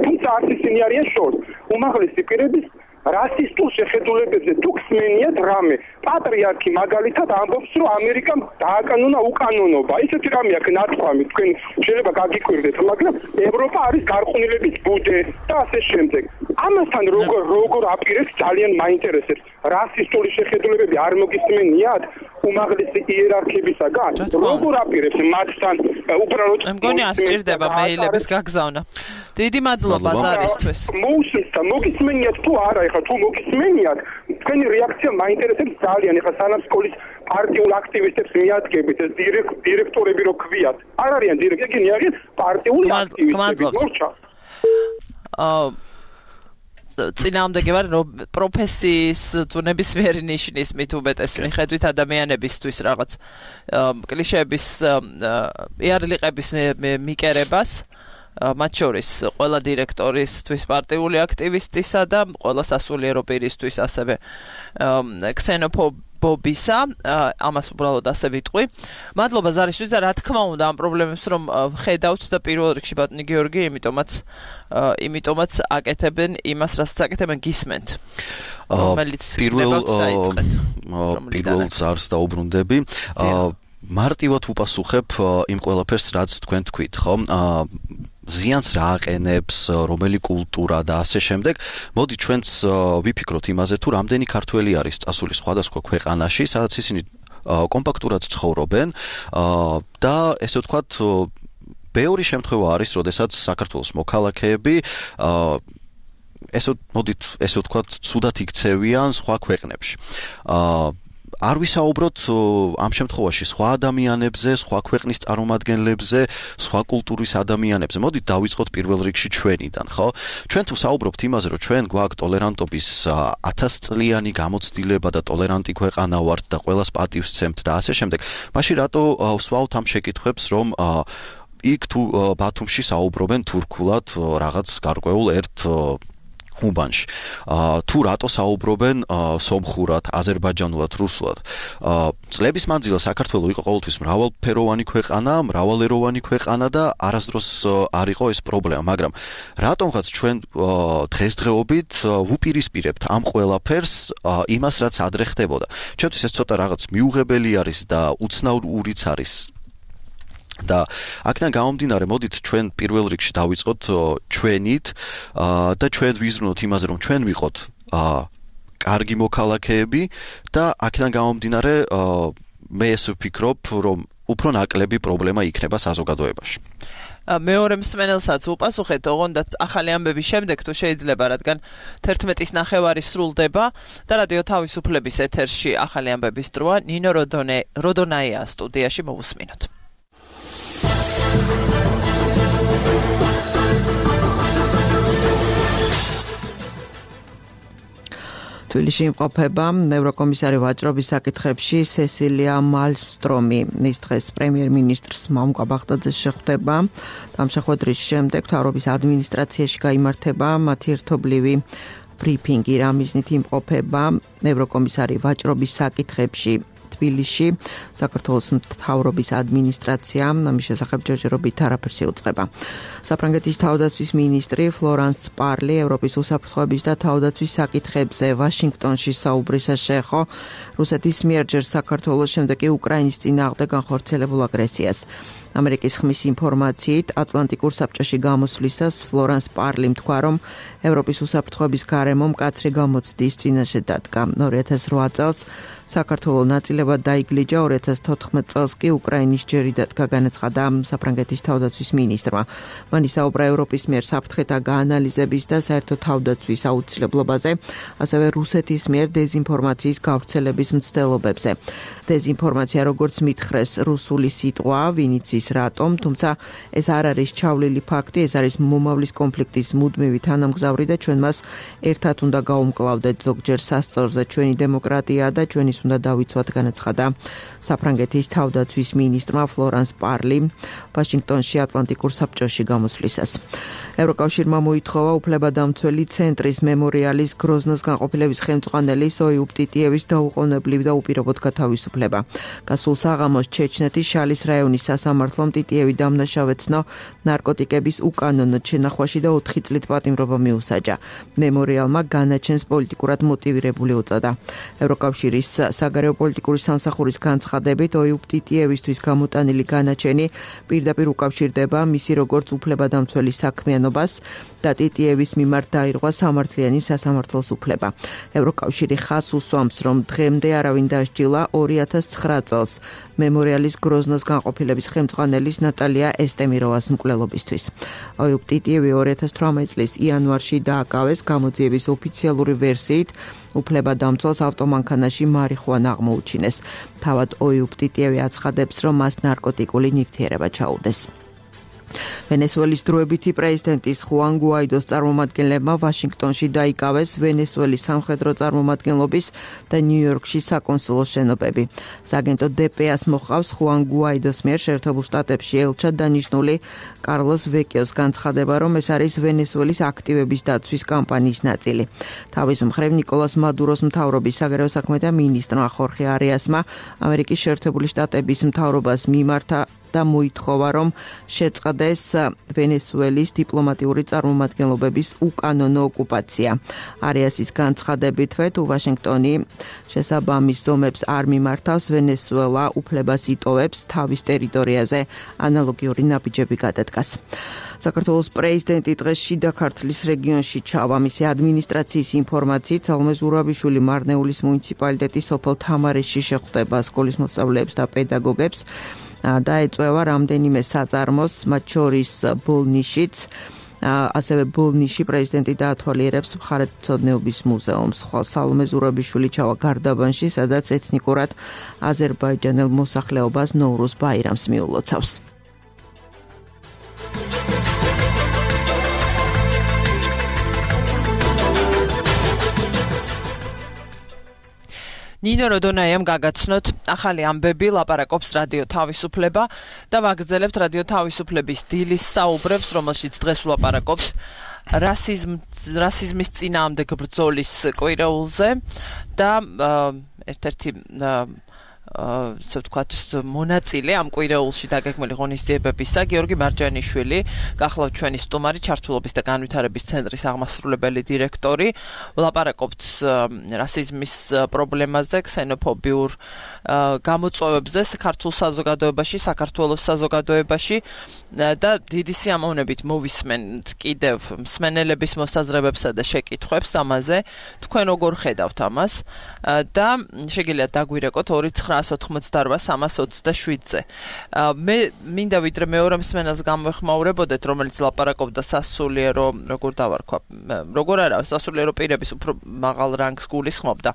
თუმცა არც ისინი არიან შორს. უმაღლესი პირების რასისტულ შეხედულებებზე თუ ხსმენიათ რამე. პატრიარქი მაგალითად ამბობს, რომ ამერიკამ დააკანონა უკანონობა. ისეთი რამე აქვს ნათქვამი, თქვენ შეიძლება გაგიკვირდეთ, მაგრამ ევროპა არის გარყვნილების ბუდე და ასე შემდეგ. ამასთან როგორ აპირებს ძალიან მაინტერესებს. რასისტული შეხედულებები არ მოგისმენიათ უმაღლესი იერარქებისაგან? როგორ აპირებს მათთან უბრალოდ მგონი არ სჭირდება მეილების გაგზავნა. დიდი მადლობა ზარისთვის. მოუსმენთ და მოგისმენიათ თუ არა, ეხლა თუ მოგისმენიათ, თქვენი რეაქცია მაინტერესებს ძალიან. ეხლა სანამ სკოლის პარტიულ აქტივისტებს მიადგებით, ეს დირექტორები რო ქვიათ. არ არიან დირექტორები, არიან პარტიული აქტივისტები. მორჩა. წინააღმდეგი ვარ, რომ პროფესიის თუ ნებისმიერი ნიშნის მით უმეტეს მიხედვით ადამიანებისთვის რაღაც კლიშეების იარლიყების მიკერებას, მათ შორის ყველა დირექტორისთვის, პარტიული აქტივისტისა და ყველა სასულიერო პირისთვის ასევე ქსენოფობისა, ამას უბრალოდ ასე ვიტყვი. მადლობა ზარისთვის და რა თქმა უნდა ამ პრობლემებს რომ ხედავთ და პირველ რიგში ბატონი გიორგი, იმიტომაც აკეთებენ იმას, რასაც აკეთებენ გისმენთ. პირველ ზარს დაუბრუნდები. მარტივად უპასუხებ იმ ყველაფერს, რაც თქვენ თქვით, ხო? ზიანს რა აყენებს, რომელი კულტურა და ასე შემდეგ. მოდი ჩვენც ვიფიქროთ იმაზე, თუ რამდენი ქართველი არის წასული სხვადასხვა ქვეყანაში, სადაც ისინი კომპაქტურად ცხოვრობენ და ესე ვთქვათ, ბევრი შემთხვევა არის, როდესაც საქართველოს მოქალაქეები ესე ვთქვათ, ცუდად იქცევიან სხვა ქვეყნებში. არ ვისაუბროთ ამ შემთხვევაში სხვა ადამიანებზე, სხვა ქვეყნის წარმომადგენლებზე, სხვა კულტურის ადამიანებზე. მოდით დავიწყოთ პირველ რიგში ჩვენიდან, ხო? ჩვენ თუ საუბრობთ იმაზე, რომ ჩვენ გვაქვს ტოლერანტობის 1000 წლიანი გამოცდილება და ტოლერანტი ქვეყანა ვართ და ყველას პატივს ვცემთ და ასე შემდეგ, მაშინ რატო ვსვავთ ამ შეკითხვებს, რომ იქ თუ ბათუმში საუბრობენ თურქულად რაღაც გარკვეულ ერთ უბანში. თუ რატო საუბრობენ სომხურად, აზერბაიჯანულად, რუსულად. წლების მანძილზე საქართველო იყო ყოველთვის მრავალფეროვანი ქვეყანა, მრავალეროვანი ქვეყანა და არასდროს არ იყო ეს პრობლემა, მაგრამ რატომღაც ჩვენ დღესდღეობით ვუპირისპირებთ ამ ყველაფერს იმას, რაც ადრე ხდებოდა. ჩვენთვის ეს ცოტა რაღაც მიუღებელი არის და უცნაურიც არის. და აქედან გამომდინარე, მოდით ჩვენ პირველ რიგში დავიწყოთ ჩვენით და ჩვენ ვიზრუნოთ იმაზე, რომ ჩვენ ვიყოთ კარგი მოქალაქეები და აქედან გამომდინარე მე ეს ვფიქრობ, რომ უფრო ნაკლები პრობლემა იქნება საზოგადოებაში. მეორე მსმენელსაც უპასუხეთ, ოღონდ ახალი ამბების შემდეგ თუ შეიძლება, რადგან 11:09 სრულდება და რადიო თავისუფლების ეთერში ახალი ამბების დროა, ნინო როდონაია სტუდიაში მოვუსმინოთ. თბილისში იმყოფება ევროკომისარი ვაჭრობის საკითხებში სესილია მალმსტრომი. ის დღეს პრემიერ-მინისტრს მამუკა ბაღდაძეს შეხვდება. ამ შეხვედრის შემდეგ მთავრობის ადმინისტრაციაში გაიმართება მათი ერთობლივი ბრიფინგი, რამიზნით იმყოფება ევროკომისარი ვაჭრობის საკითხებში თბილისში. საქართველოს მთავრობის ადმინისტრაცია ამის შესახებ ჯერჯერობით არაფერს იუწყება. საფრანგეთის თავდაცვის მინისტრი ფლორანს პარლი ევროპის უსაფრთხოების და თავდაცვის საკითხებზე ვაშინგტონში საუბრისას შეეხო რუსეთის მიერ ჯერ საქართველოს, შემდეგ კი უკრაინის წინააღმდეგ განხორციელებულ აგრესიას. ამერიკის ხმის ინფორმაციით ატლანტიკურ საბჭოში გამოსვლისას ფლორანს პარლიმ თქვა, რომ ევროპის უსაფრთხოების გარემო მკაცრი გამოცდის წინაშე დადგა. 2008 წელს საქართველოს ნაწილებად დაიგლიჯა, 2014 წელს კი უკრაინის ჯერი დადგა, განაცხადა საფრანგეთის თავდაცვის მინისტრმა. მან ისაუბრა ევროპის მიერ საფრთხეთა გაანალიზების და საერთო თავდაცვის აუცილებლობაზე, ასევე რუსეთის მიერ დეზინფორმაციის გავრცელების მცდელობებზე. დეზინფორმაცია, როგორც მითხრეს, რუსული სიტყვა, ვინც ის რატომ, თუმცა ეს არ არის ჩავლილი ფაქტი, ეს არის მომავლის კონფლიქტის მუდმივი თანამგზავრი და ჩვენ მას ერთად უნდა გაუმკლავდეთ ზოგჯერ სასწორზე. ჩვენი დემოკრატია და ჩვენის უნდა დავიცვათ, განაცხადა საფრანგეთის თავდაცვის მინისტრმა ფლორანს პარლიმ ვაშინგტონში ატლანტიკურ საბჭოში გამოსვლისას. ევროკავშირმა მოითხოვა უფლებადამცველი ცენტრის მემორიალის გროზნოს განყოფილების ხელმძღვანელის ოიუბ ტიტიევის დაუყოვნებლივ და უპირობოდ გათავისუფლება. გასულ საღამოს ჩეჩნეთის შალის რაიონის სასამართლომ ტიტიევი დამნაშავეცნო ნარკოტიკების უკანონოდ შენახვაში და 4 წლით პატიმრობა მიუსაჯა. მემორიალმა განაჩენს პოლიტიკურად მოტივირებული უწოდა. ევროკავშირის საგარეო პოლიტიკური სამსახურის განცხადებით ოიუბ ტიტიევისთვის გამოტანილი განაჩენი პირდაპირ უკავშირდება მისი როგორც უფლებადამცველი საქმიანობას და ტიტიევის მიმართ დაირღვა სამართლიანი სასამართლოს უფლება. ევროკავშირი ხაზს უსვამს, რომ დღემდე არავინ დასჯილა 2009 წელს მემორიალის გროზნოს განყოფილების ხელმძღვანელის ნატალია ესტემიროვას მკვლელობისთვის. ოიუბ ტიტიევი 2018 წლის იანვარში დააკავეს, გამოძიების ოფიციალური ვერსიით უფლებადამცველს ავტომანქანაში მარიხუანა აღმოუჩინეს. თავად ოიუბ ტიტიევი აცხადებს, რომ მას ნარკოტიკული ნივთიერება ჩაუდეს. ვენესუელის დროებითი პრეზიდენტის ხუან გუაიდოს წარმომადგენლებმა ვაშინგტონში დაიკავეს ვენესუელის სამხედრო წარმომადგენლობის და ნიუ-იორკში საკონსულო შენობები. სააგენტო დპ-ს მოჰყავს ხუან გუაიდოს მიერ შეერთებულ შტატებში ელჩად დანიშნული კარლოს ვეკიოს განცხადება, რომ ეს არის ვენესუელის აქტივების დაცვის კამპანიის ნაწილი. თავის მხრივ ნიკოლას მადუროს მთავრობის საგარეო საქმეთა მინისტრმა ხორხე არიასმა ამერიკის შეერთებული შტატების მთავრობას მიმართა და მოითხოვა, რომ შეწყდეს ვენესუელის დიპლომატიური წარმომადგენლობების უკანონო ოკუპაცია. არიასის განცხადებითვე, თუ ვაშინგტონი შესაბამის ზომებს არ მიმართავს, ვენესუელა უფლებას იტოვებს თავის ტერიტორიაზე ანალოგიური ნაბიჯები გადადგას. საქართველოს პრეზიდენტი დღეს შიდა ქართლის რეგიონში ჩავა. მისი ადმინისტრაციის ინფორმაციით სალომე ზურაბიშვილი მარნეულის მუნიციპალიტეტის სოფელ თამარეში შეხვდება სკოლის მოსწავლეებს და პედაგოგებს და ეწევა რამდენიმე საწარმოს, მათ შორის ბოლნიშიც, ასევე ბოლნიში პრეზიდენტი დაათვალიერებს მხარეთმცოდნეობის მუზეუმს. სალომე ზურაბიშვილი ჩავა გარდაბანში, სადაც ეთნიკურად აზერბაიჯანელ მოსახლეობას ნოვრუზ ბაირამს მიულოცავს. ნინო როდონაიამ გაგაცნოთ ახალი ამბები, ლაპარაკობს რადიო თავისუფლება და ვაგრძელებთ რადიო თავისუფლების დილის საუბრებს, რომელშიც დღეს ვლაპარაკობს რასიზმის წინააღმდეგ ბრძოლის კვირეულზე და ერთ-ერთი ასე ვთქვათ მონაწილე ამ კვირეულში დაგეგმილი ღონისძიებებისა გიორგი მარჯანიშვილი, გახლავთ ჩვენი სტუმარი, ჩართულობის და განვითარების ცენტრის აღმასრულებელი დირექტორი. ვლაპარაკობთ რასიზმის პრობლემაზე, ქსენოფობიურ გამოწვევებზე ქართულ საზოგადოებაში, საქართველოს საზოგადოებაში და დიდი სიამოვნებით მოვისმენთ კიდევ მსმენელების მოსაზრებებსა და შეკითხვებს ამაზე. თქვენ როგორ ხედავთ ამას და შეგიძლიათ დაგვირეკოთ 29 888-327-ზე. მე მინდა ვიდრე მეორე მსმენელს გამოვეხმაურებოდეთ, რომელიც ლაპარაკობდა სასულიერო, როგორ დავარქვა, როგორ არა, სასულიერო პირების უფრო მაღალ რანგს გულისხმობდა.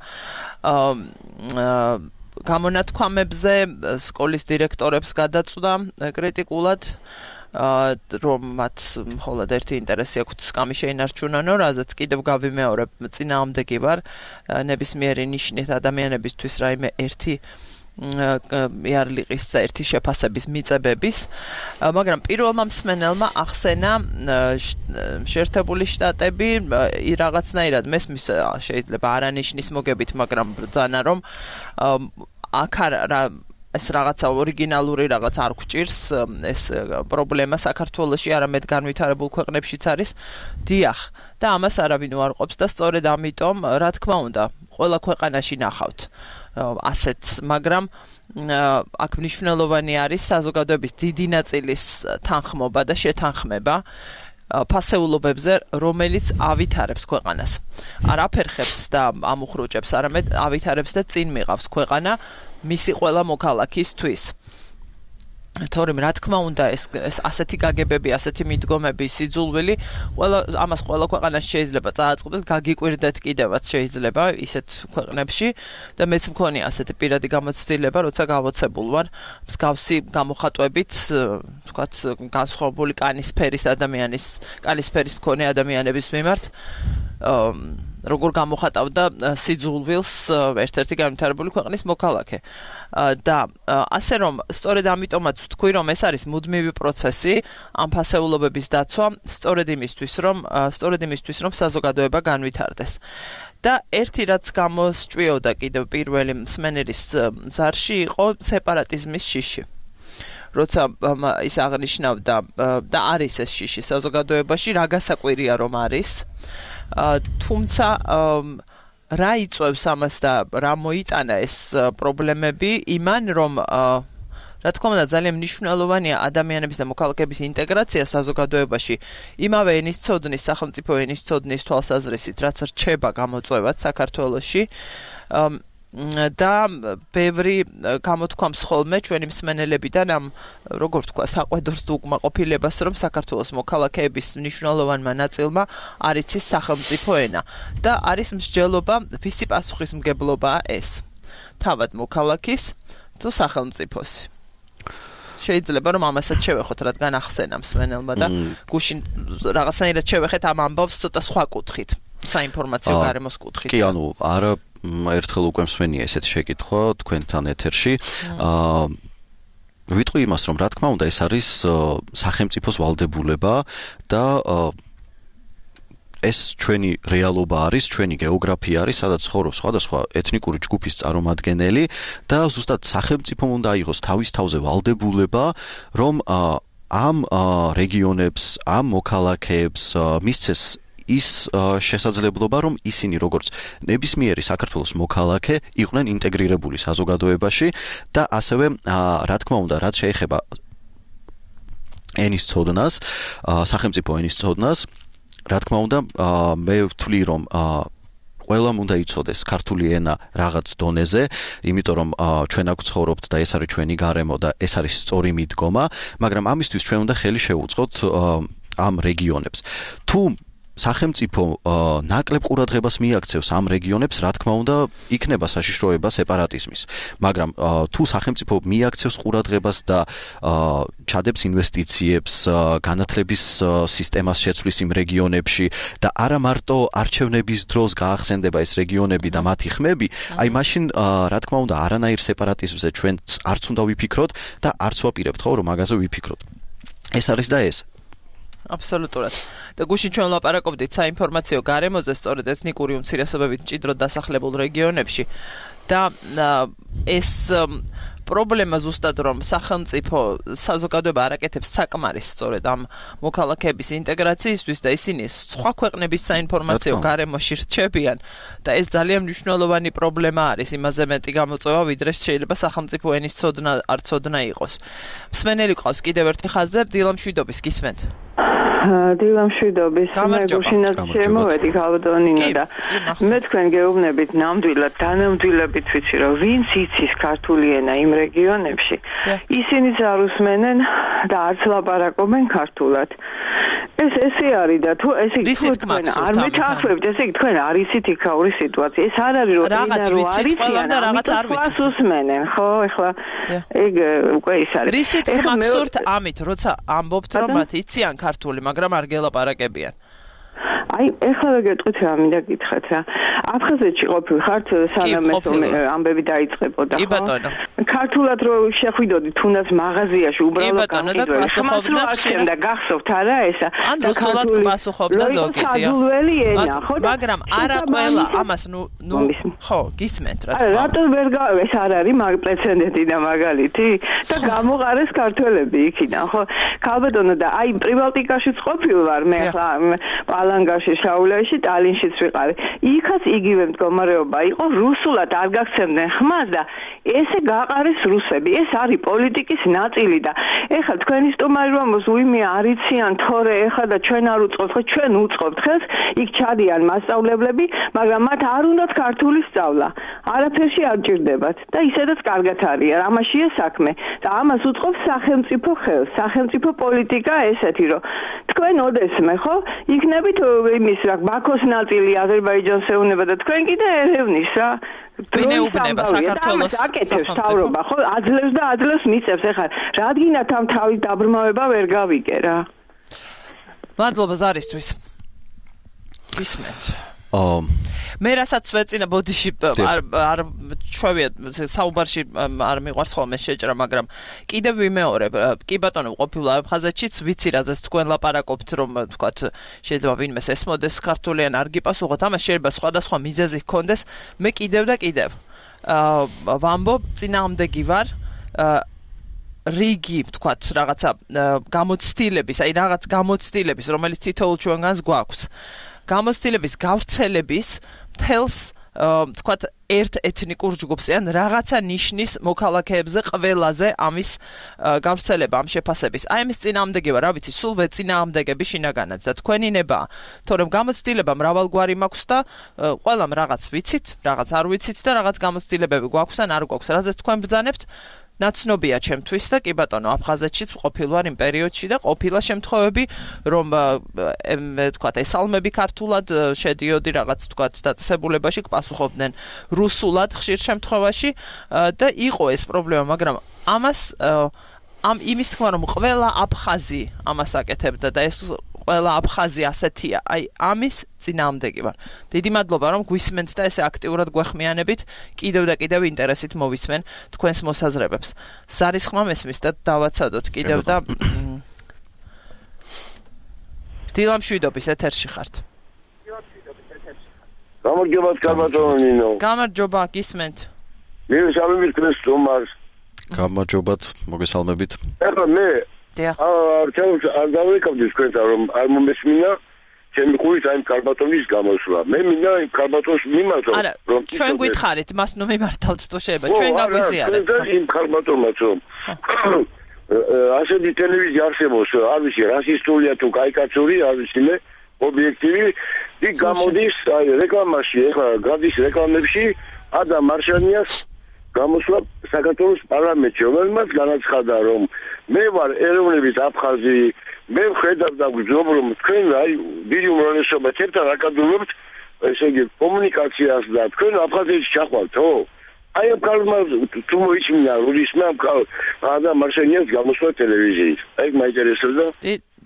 გამონათქვამებზე სკოლის დირექტორებს გადაწვდა კრიტიკულად, რომ მათ მხოლოდ ერთი ინტერესი აქვთ სკამი შეინარჩუნანო, რაზეც კიდევ გავიმეორებ, წინააღმდეგი ვარ ნებისმიერი ნიშნით ადამიანებისთვის რაიმე ერთი იარლიყის ერთი შეფასების მიწებების, მაგრამ პირველმა მსმენელმა ახსენა შეერთებული შტატები რაღაცნაირად მესმის შეიძლება არანიშნის მოგებით, მაგრამ ბრძანა რომ აქ ეს რაღაცა ორიგინალური რაღაც არ გვჭირს, ეს პრობლემა საქართველოში არამედ განვითარებულ ქვეყნებშიც არის. დიახ, და ამას არავინ უარყოფს და სწორედ ამიტომ, რა თქმა უნდა, ყველა ქვეყანაში ნახავთ ასეთს, მაგრამ აქ მნიშვნელოვანი არის საზოგადოების დიდი ნაწილის თანხმობა და შეთანხმება ფასეულობებზე, რომელიც ავითარებს ქვეყანას. არ აფერხებს და ამუხრუჭებს, არამედ ავითარებს და წინ მიყავს ქვეყანა მისი ყველა მოქალაქისთვის. თორემ რა თქმა უნდა ეს ასეთი გაგებები, ასეთი მიდგომები, სიძულვილი, ამას ყველა ქვეყანაში შეიძლება წააწყდეს, გაგიკვირდეთ კიდევაც შეიძლება ისეთ ქვეყნებში და მეც მქონია ასეთი პირადი გამოცდილება, როცა გავოცებულ ვარ მსგავსი გამოხატვებით, თქვათ, განსხვავებული კანისფერის მქონე ადამიანების მიმართ, როგორ გამოხატავდა სიძულვილს ერთ-ერთი განვითარებული ქვეყნის მოქალაქე. და ასე რომ სწორედ ამიტომაც ვთქვი, რომ ეს არის მუდმივი პროცესი ამ ფასეულობების დაცვა, სწორედ იმისთვის, რომ საზოგადოება განვითარდეს. და ერთი რაც გამოსჭვიოდა კიდევ პირველი მსმენელის ზარში იყო სეპარატიზმის შიში. როცა ის აღნიშნავდა და არის ეს შიში საზოგადოებაში, რა გასაკვირია რომ არის, თუმცა რა იწვევს ამას და რა მოიტანა ეს პრობლემები იმან, რომ რა თქმა უნდა ძალიან მნიშვნელოვანია ადამიანების და მოქალაქეების ინტეგრაცია საზოგადოებაში იმავე ენის ცოდნის, სახელმწიფო ენის ცოდნის თვალსაზრისით, რაც რჩება გამოწვევად საქართველოში. და ბევრი გამოთქვამს ხოლმე ჩვენი მსმენელებიდან ამ როგორ თქვა საყვედურს თუ უკმაყოფილებას, რომ საქართველოს მოქალაქეების მნიშვნელოვანმა ნაწილმა არ იცის სახელმწიფო ენა და არის მსჯელობა, ვისი პასუხისმგებლობაა ეს, თავად მოქალაქის თუ სახელმწიფოს. შეიძლება რომ ამასაც შევეხოთ, რადგან ახსენა მსმენელმა და გუშინ რაღაცნაირად შევეხეთ ამ ამბავს ცოტა სხვა კუთხით, საინფორმაციო გარემოს კუთხით. კი, ანუ არა ერთხელ უკვე მსმენია ესეთ შეკითხვა თქვენთან ეთერში. ვიტყვი იმას, რომ რა თქმა უნდა ეს არის სახელმწიფოს ვალდებულება და ეს ჩვენი რეალობა არის, ჩვენი გეოგრაფია არის, სადაც ცხოვრობს სხვადასხვა ეთნიკური ჯგუფის წარმომადგენელი და ზუსტად სახელმწიფომ უნდა აიღოს თავის თავზე ვალდებულება, რომ ამ რეგიონებს, ამ მოქალაქეებს მისცეს ის შესაძლებლობა, რომ ისინი როგორც ნებისმიერი საქართველოს მოქალაქე იყვნენ ინტეგრირებული საზოგადოებაში და ასევე რა თქმა უნდა, რაც შეეხება ენის ცოდნას, სახელმწიფო ენის ცოდნას, რა თქმა უნდა, მე ვთვლი, რომ ყველამ უნდა იცოდეს ქართული ენა რაღაც დონეზე, იმიტომ რომ ჩვენ აქ ცხოვრობთ და ეს არის ჩვენი გარემო და ეს არის სწორი მიდგომა, მაგრამ ამისთვის ჩვენ უნდა ხელი შევუწყოთ ამ რეგიონებს. თუ სახელმწიფო ნაკლებ ყურადღებას მიაქცევს ამ რეგიონებს, რა თქმა უნდა, იქნება საშიშროება სეპარატიზმის. მაგრამ თუ სახელმწიფო მიაქცევს ყურადღებას და ჩადებს ინვესტიციებს, განათლების სისტემას შეცვლის იმ რეგიონებში და არა მარტო არჩევნების დროს გაახსენდება ეს რეგიონები და მათი ხმები, აი მაშინ რა თქმა უნდა, არანაირ სეპარატიზმზე ჩვენ არც უნდა ვიფიქროთ და არც ვაპირებთ, ხო, რომ მაგაზე ვიფიქროთ. ეს არის და ეს. აბსოლუტურად. და გუშინ ჩვენ ვლაპარაკობდით საინფორმაციო გარემოზე, სწორედ ეთნიკური უმცირესობებით მჭიდროდ დასახლებულ რეგიონებში და ეს პრობლემა ზუსტად რომ სახელმწიფო საზოგადოება არაკეთებს საკმარის სწორედ ამ მოქალაქეების ინტეგრაციისთვის და ისინი სხვა ქვეყნების საინფორმაციო გარემოში რჩებიან და ეს ძალიან მნიშვნელოვანი პრობლემა არის, იმაზე მეტი გამოწვევა, ვიდრე შეიძლება სახელმწიფო ენის ცოდნა არ ცოდნა იყოს. მსმენელი ყავს კიდევ ერთი ხაზზე, დილამშვიდობის, გისმენთ. დილამშვიდობის მეგობრებინაც შემოვედი გალბატონინო და მე თქვენ გეუბნებით ნამდვილად დანამდვილებით ვიცი რომ ვინც იცის ქართული ენა იმ რეგიონებში ისინიც არ უსმენენ და არც ლაპარაკობენ ქართულად ესე არის და თუ ესე თქვენ არ მეთანხმებთ ესე თქვენ არ იცით იქაური სიტუაცია ეს არ არის რომ რაღაც ვიცით ყველა და რაღაც არ ვიცით უსმენენ ხო ეხლა ეგ უკვე ის არის რისით გმახსურთ ამით როცა ამბობთ რომ მათ იციან ქართული მაგრამ არ გელაპარაკებიან აი ეხლა გეტყვით რა მინდა გითხრათ რა აფხაზეთში ყოფილხართ სანამ ეს ამბები დაიწყებოდა ხო ქართულად რო შეხვიდოდი თუნდაც მაღაზიაში უბრალოდ გახსოვდა და გახსოვთ არა ესა ან რუსულად გასუხობდა ზოგი მაგრამ არა ყველა ამას ნუ ხო გისმენთ რა თქმა უნდა რატო ვერ ეს არ არის პრეცედენტი და მაგალითი და გამოყარეს ქართველები იქიდან ხო ქალბატონო და აი პრიბალტიკაშიც ყოფილ ვარ მე ახლა პალანგაში შაულეში ტალინშიც ვიყავი იქაც იგივე მდგომარეობა იყო რუსულად არ გაგცემდნენ ხმას და ესე გაყარეს რუსები ეს არის პოლიტიკის ნაწილი და ეხლა თქვენი სტუმარი რომ უიმე არიციან თორე ეხლა და ჩვენ არ უწყობთ ხო ჩვენ უწყობთ ხელს იქ ჩადიან მასწავლებლები მაგრამ მათ არ უნდათ ქართული სწავლა არაფერში არ ჭირდებათ და ისედაც კარგად არის ამაშია საქმე და ამას უწყობს სახელმწიფო ხელს სახელმწიფო პოლიტიკა ესეთი რომ თქვენ ოდესმე ხო იქნებით იმის რა ბაქოს ნაწილი აზერბაიჯანს ეუნება და თქვენ კიდე ერევნის რა ვინეუბნება საქართველოს აკეთებს თავრობა ხო აძლევს და აძლევს მიწევს ეხლა რადგინათ ამ თავის დაბრმავება ვერ გავიგე რა მადლობა ზარისთვის გისმენთ მე რასაც ვეწინა ბოდიში არ ჩვევია საუბარში არ მიყვარს ხოლმე შეჭრა მაგრამ კიდევ ვიმეორებ კი ბატონო ყოფილა აფხაზეთშიც ვიცი რაზეც თქვენ ლაპარაკობთ რომ თქვათ შეიძლება ვინმეს ესმოდეს ქართული ან არ გიპასუხოთ ამას შეიძლება სხვადასხვა მიზეზი ჰქონდეს მე კიდევ და კიდევ ვამბობ წინააღმდეგი ვარ რიგი თქვათ რაღაცა გამოცდილების აი რაღაც გამოცდილების რომელიც თითოეულ ჩვენგანს გვაქვს გამოცდილების გავრცელების მთელს თქვათ ერთ ეთნიკურ ჯგუფს ან რაღაცა ნიშნის მოქალაქეებზე ყველაზე ამის გავრცელება ამ შეფასების აი ამის წინააღმდეგი ვარ რა ვიცი სულ ვეწინააღმდეგები შინაგანაც და თქვენი ნებაა თორემ გამოცდილება მრავალგვარი მაქვს და ყველამ რაღაც ვიცით რაღაც არ ვიცით და რაღაც გამოცდილებები გვაქვს ან არ გვაქვს რაზეც თქვენ ბრძანებთ ნაცნობია ჩემთვის და კი ბატონო აფხაზეთშიც ყოფილვარ იმ პერიოდში და ყოფილა შემთხვევები რომ თქვათ ესალმები ქართულად შედიოდი რაღაც თქვათ დაწესებულებაში გპასუხობდნენ რუსულად ხშირ შემთხვევაში და იყო ეს პრობლემა მაგრამ ამას ამ იმის თქმა რომ ყველა აფხაზი ამას აკეთებდა და ეს ყველა აფხაზი ასეთია აი ამის წინააღმდეგი ვარ დიდი მადლობა რომ გვისმენთ და ესე აქტიურად გვეხმიანებით კიდევ და კიდევ ინტერესით მოვისმენ თქვენს მოსაზრებებს ზარის ხმა მესმის და დავაცადოთ კიდევ და დილამშვიდობის ეთერში ხართ გამარჯობა ქალბატონინო გამარჯობა გისმენთ მე შევიმით თქვენს სტუმარს გამარჯობათ მოგესალმებით ეხლა მე არჩევს არ დავიკავდი თქვენთან რომ არ მომესმინა ჩემი ხურის აი ქალბატონის გამოსვლა მე მინდა იმ ქალბატონს მიმართო რომ ჩვენ გითხარით მას ნუ მიმართავთ თუ შეიძლება ჩვენ გაგვიზიარეთ იმ ქალბატონმაც რომ ასეთი ტელევიზია არსებობს არ ვიცი რასისტულია თუ კაიკაცური არ ვიცი მე ობიექტივი იქ გამოდის აი რეკლამაში ეხლა გადის რეკლამებში ადამ მარშანიას გამოსვლა საქართველოს პარლამენტში რომელმაც განაცხადა რომ მე ვარ ეროვნების აფხაზი მე ვხედავ და ვგზნობ რომ თქვენ აი დიდი უმრავლესობა ერთად აკადრობთ ესე იგი კომუნიკაციას და თქვენ აფხაზეთში ჩახვალთ ხო აი ამ კალმა თუ მოიჩინა რუსმა ადამ მარშანიას გამოსვლა ტელევიზიით აი მაინტერესებდა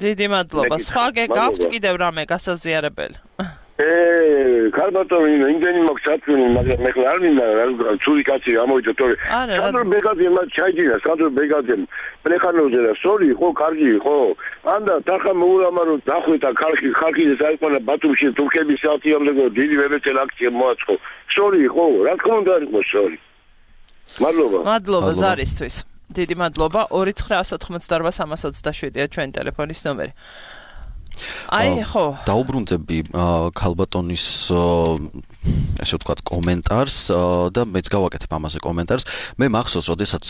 დიდი მადლობა სხვა გაქვთ კიდევ რამე გასაზიარებელი ქალბატონო იმდენი მაქვს საქმე მაგრამ მე ხარ არ მინდა ცუდი კაცი გამოვიდა თორე სანდრო ბეგაძე მათ ჩაიჯერა სანდრო ბეგაძე პრეხანოზე და სორი ხო კარგი ხო ანდა დახა მოულამარო დახვეთა ხალხი საერთოდ ბათუმში თურქების საათიამდე დიდი ვებეთელ აქცია მოაწყო სორი ხო რა თქმა უნდა იყო სორი მადლობა ზარისთვის დიდი მადლობა 2988 327-ია ჩვენი ტელეფონის ნომერი დაუბრუნდები ქალბატონის ესე ვთქვათ კომენტარს და მეც გავაკეთებ ამაზე კომენტარს. მე მახსოვს, როდესაც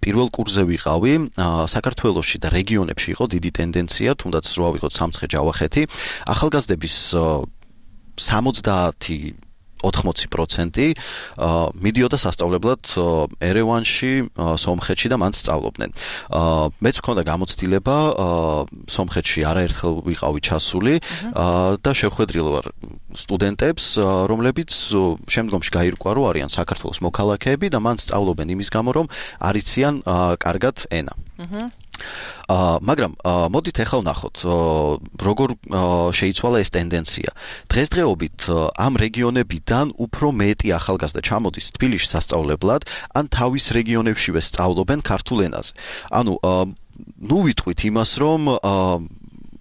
პირველ კურსზე ვიყავი, საქართველოში და რეგიონებში იყო დიდი ტენდენცია, თუნდაც რო ავიღოთ სამცხე-ჯავახეთი, ახალგაზრდების 70-80% მიდიოდა სასწავლებლად ერევანში, სომხეთში და მან სწავლობდნენ. მეც მქონდა გამოცდილება სომხეთში არაერთხელ ვიყავი ჩასული და შევხვედრილ ვარ სტუდენტებს, რომლებიც შემდგომში გაირკვა, რომ არიან საქართველოს მოქალაქეები და მან სწავლობენ იმის გამო, რომ არიციან კარგად ენა. მაგრამ მოდით ახლა ვნახოთ, როგორ შეიცვალა ეს ტენდენცია. დღესდღეობით ამ რეგიონებიდან უფრო მეტი ახალგაზრდა ჩამოდის თბილისში სასწავლებლად, ან თავის რეგიონებშივე სწავლობენ ქართულ ენაზე. ანუ ნუ ვიტყვით იმას, რომ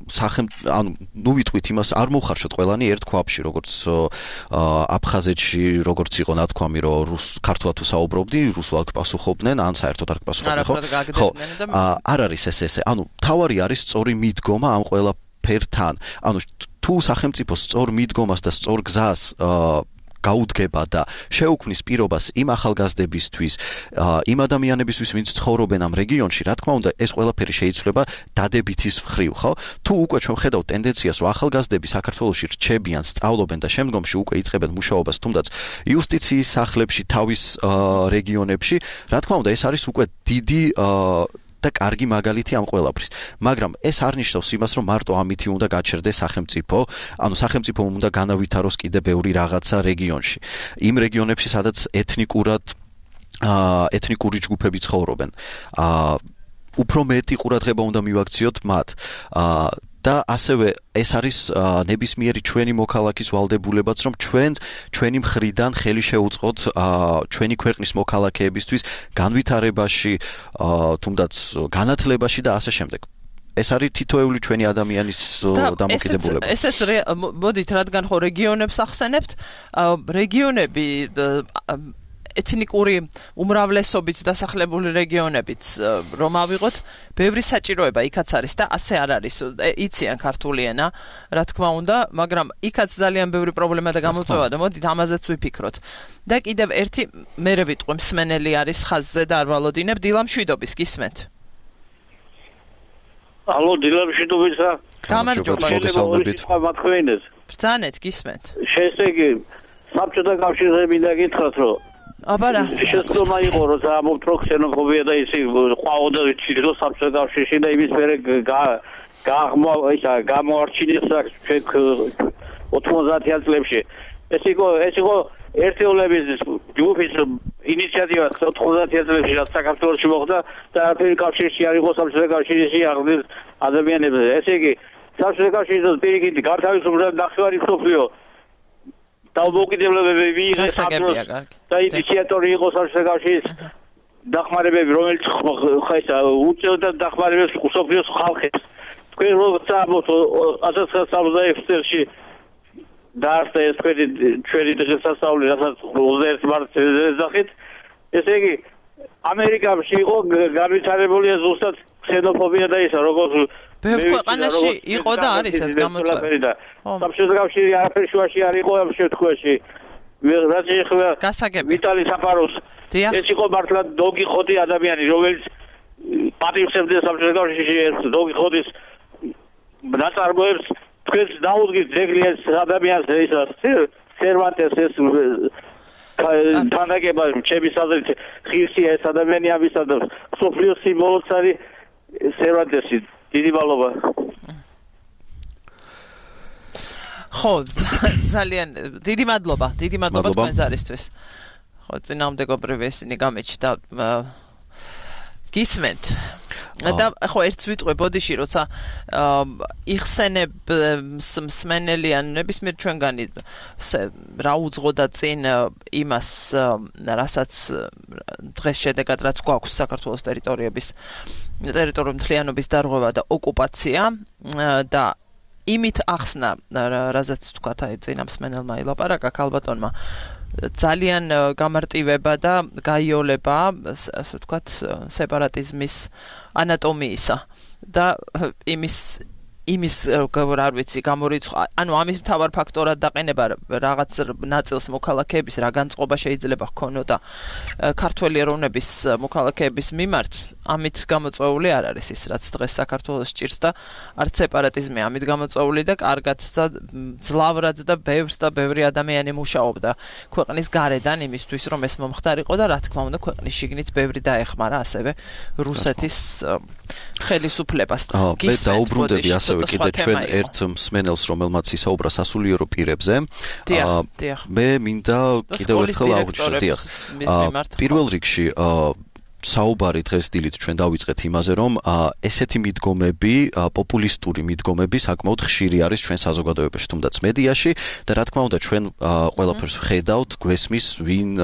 ნუ ვიტყვით იმას, არ მოვხარშოთ ყველანი ერთ ქვაბში, როგორც აფხაზეთში, როგორც იყო ნათქვამი, რომ ქართულად თუ საუბრობდი, რუსულად პასუხობდნენ, ან საერთოდ არ პასუხობდნენ, ხო? არ არის ესე. ანუ თავარი არის სწორი მიდგომა ამ ყველაფერთან. ანუ თუ სახელმწიფო სწორ მიდგომას და სწორ გზას გაუდგება და შეუქმნის პირობას იმ ახალგაზრდებისთვის, იმ ადამიანებისთვის, ვინც ცხოვრობენ ამ რეგიონში, რა თქმა უნდა, ეს ყველაფერი შეიცვლება დადებითის მხრივ, ხო? თუ უკვე ჩვენ ხედავთ ტენდენციას, რომ ახალგაზრდები საქართველოში რჩებიან, სწავლობენ და შემდგომში უკვე იწყებენ მუშაობას, თუნდაც იუსტიციის სახლებში, თავის რეგიონებში, რა თქმა უნდა, ეს არის უკვე დიდი და კარგი მაგალითი ამ ყველაფრის. მაგრამ ეს არ ნიშნავს იმას, რომ მარტო ამითი უნდა გაჩერდეს სახელმწიფო, ანუ სახელმწიფო უნდა განავითაროს კიდე ბევრი რაღაცა რეგიონში. იმ რეგიონებში, სადაც ეთნიკური ჯგუფები ცხოვრობენ. უფრო მეტი ყურადღება უნდა მივაქციოთ მათ. და ასევე ეს არის ნებისმიერი ჩვენი მოქალაქის ვალდებულებაც, რომ ჩვენი მხრიდან ხელი შეუწყოთ ჩვენი ქვეყნის მოქალაქეებისთვის განვითარებაში, თუნდაც განათლებაში და ასე შემდეგ. ეს არის თითოეული ჩვენი ადამიანის დამოკიდებულება. ესეც მოდით, რადგან ხო რეგიონებს ახსენებთ, რეგიონები ეთნიკური უმრავლესობით დასახლებული რეგიონებიც რომ ავიღოთ, ბევრი საჭიროება იქაც არის და ასე არ არის. იციან ქართული ენა, რა თქმა უნდა, მაგრამ იქაც ძალიან ბევრი პრობლემა და გამოწვევა და მოდით ამაზეც ვიფიქროთ. და კიდევ ერთი მერე ვიტყვი, მსმენელი არის ხაზზე და არ ვალოდინებ, დილამშვიდობის გისმენთ. ალო, დილამშვიდობისა. გამარჯობა, მოგესალმებით. ბრძანეთ, გისმენთ. შესეგი, საბჭოთა კავშირზე მინდა გითხრათ, რომ აბარა შეცდომა იყო, რომ ამობთ რო ქსენოფობია და ისი ყვაოდა ჩირო საბჭოთა კავშირში და იმის მერე გამოარჩინეს 90-იან წლებში. ეს იყო ერთეულების ჯგუფის ინიციატივა 90-იან წლებში, რაც საქართველოში მოხდა და არაფერი კავშირში არ იყო საბჭოთა კავშირში აღდგენილ ადამიანებზე. ესე იგი, საბჭოთა კავშირის პირიქით გართავისუფლება ნახევარი მსოფლიო დაუმოკიდებლებები მიიღეს და ინიციატორი იყო საბჭოთა კავშირის დახმარებები, რომელიც უწევდა დახმარებებს მსოფლიოს ხალხებს. თქვენ როცა 1971 წელს დაარსდა ეს ჩვენი დღესასწაული, რასაც 21 მარტს ეძახით. ესე იგი, ამერიკაში იყო განვითარებული ზუსტად ქსენოფობია და ისა, როგორც ბევრ ქვეყანაში იყო და არის ეს გამოწვევა. საბჭოთა კავშირი არაფერი შუაში არ იყო ამ შემთხვევაში. რაც ეხება ვიტალი საფაროს, ეს იყო მართლა დოგი ხოდი ადამიანი, რომელიც პატივსებდა საბჭოთა კავშირში ეს დოგი ხოდის ნაწარმოებს. თქვენს დაუდგით ძეგლი ეს ადამიანს, ეს სერვანტეს ეს თანაგება ჩემი საზრით ღირსია ეს ადამიანი ამისა და სოფლიოს სიმბოლოც არის სერვანტესი. დიდი მადლობა. ხო, ძალიან დიდი მადლობა თქვენ ზარისთვის. ხო, წინააღმდეგობრივი ისინი გამეჩნდა გისმენთ. და ხო ერთს ვიტყვი ბოდიში, როცა იხსენებს მსმენელიან ნებისმიერ ჩვენგანი რა უძღოდა წინ იმას, რასაც დღეს შედეგად რაც გვაქვს საქართველოს ტერიტორიული მთლიანობის დარღვევა და ოკუპაცია და იმით ახსნა, რაზეც თქვათ აი წინა მსმენელმა ილაპარაკა ქალბატონმა, ძალიან გამარტივება და გაიოლება, ასე ვთქვათ, სეპარატიზმის ანატომიისა და იმის არ ვიცი გამორიცხვა ანუ ამის მთავარ ფაქტორად დაყენება რაღაც ნაწილს მოქალაქეების რა განწყობა შეიძლება ჰქონოდა ქართველი ეროვნების მოქალაქეების მიმართ ამით გამოწვეული არ არის ის რაც დღეს საქართველოს ჭირს და არც სეპარატიზმი ამით გამოწვეული და კარგად და ძლავრად და ბევრი ადამიანი მუშაობდა ქვეყნის გარედან იმისთვის რომ ეს მომხდარიყო და რა თქმა უნდა ქვეყნის შიგნით ბევრი დაეხმარა ასევე რუსეთის ხელისუფლებას მე დაუბრუნდები ასევე კიდე ჩვენ ერთ მსმენელს რომელმაც ისაუბრა სასულიერო პირებზე მე მინდა კიდევ ერთხელ აღვნიშნო პირველ რიგში საუბარი დღეს დილით ჩვენ დავიწყეთ იმაზე რომ ესეთი მიდგომები პოპულისტური მიდგომები საკმაოდ ხშირი არის ჩვენ საზოგადოებაში თუნდაც მედიაში და რა თქმა უნდა ჩვენ ყველაფერს ვხედავთ გვესმის ვინ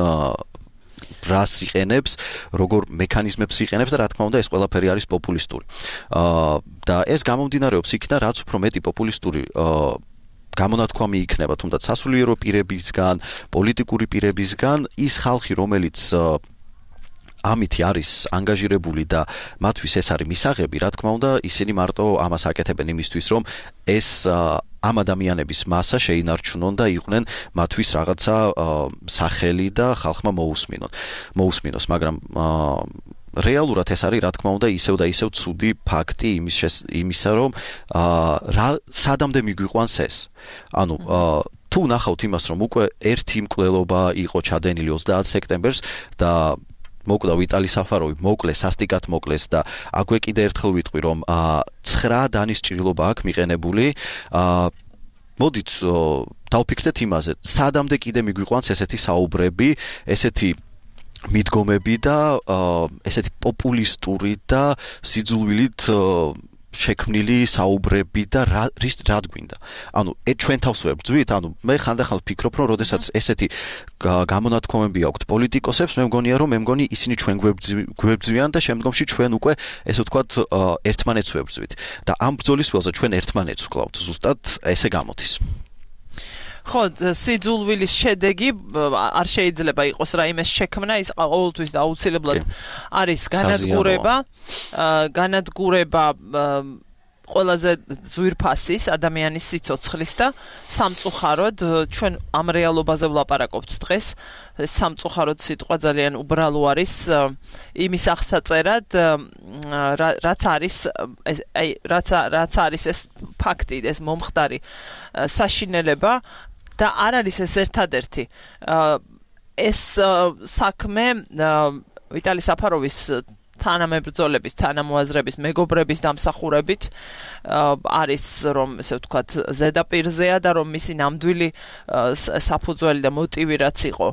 რას იყენებს, როგორ მექანიზმებს იყენებს და რა თქმა უნდა ეს ყველაფერი არის პოპულისტური. და ეს გამომდინარეობს იქიდან, რაც უფრო მეტი პოპულისტური გამონათქვამი იქნება, თუნდაც სასულიერო პირებისგან, პოლიტიკური პირებისგან, ის ხალხი, რომელიც ამითი არის ანგაჟირებული და მათთვის ეს არის მისაღები, რა თქმა უნდა, ისინი მარტო ამას აკეთებენ იმისთვის, რომ ეს ამ ადამიანების მასა შეინარჩუნონ და იყვნენ მათთვის რაღაცა სახელი და ხალხმა მოусმინოს, მაგრამ რეალურად ეს არის, რა თქმა უნდა, ისევ და ისევ ცუდი ფაქტი იმისა, რომ სადამდე მიგვიყვანს ეს. ანუ თუ ნახავთ იმას, რომ უკვე ერთი მკვლელობა იყო ჩადენილი 30 სექტემბერს და მოკვდა ვიტალი საფაროვი, მოკლეს, სასტიკად მოკლეს და აქვე კიდე ერთხელ ვიტყვი, რომ 9 დანის ჭრილობა აქვს მიყენებული. მოდით დავფიქრდეთ იმაზე, სადამდე კიდე მიგვიყვანს ესეთი საუბრები, ესეთი მიდგომები და ესეთი პოპულისტური და სიძულვილით შექმნილი საუბრები და რა გვინდა. ანუ ჩვენ თავს ვებრძვით, ანუ მე ხანდახან ვფიქრობ, რომ როდესაც ესეთი გამონათქვამები აქვთ პოლიტიკოსებს, მე მგონი ისინი ჩვენ გვებძვიან და შემდგომში ჩვენ უკვე ესე ვთქვათ ერთმანეთს ვებრძვით. და ამ ბრძოლის ველზე ჩვენ ერთმანეთს ვკლავთ, ზუსტად ესე გამოდის. ხო, სიძულვილის შედეგი არ შეიძლება იყოს რაიმეს შექმნა, ის ყოველთვის და აუცილებლად არის განადგურება ყველაზე ძვირფასის ადამიანის სიცოცხლის და სამწუხაროდ ჩვენ ამ რეალობაზე ვლაპარაკობთ დღეს. სამწუხაროდ სიტყვა ძალიან უბრალო არის იმის აღსაწერად, რაც არის ეს ფაქტი, ეს მომხდარი საშინელება და არ არის ეს ერთადერთი ეს საქმე ვიტალი საფაროვის თანამებრძოლების, თანამოაზრების, მეგობრების დამსახურებით არის რომ ესე ვთქვათ ზედაპირზეა და რომ მისი ნამდვილი საფუძველი და მოტივი რაც იყო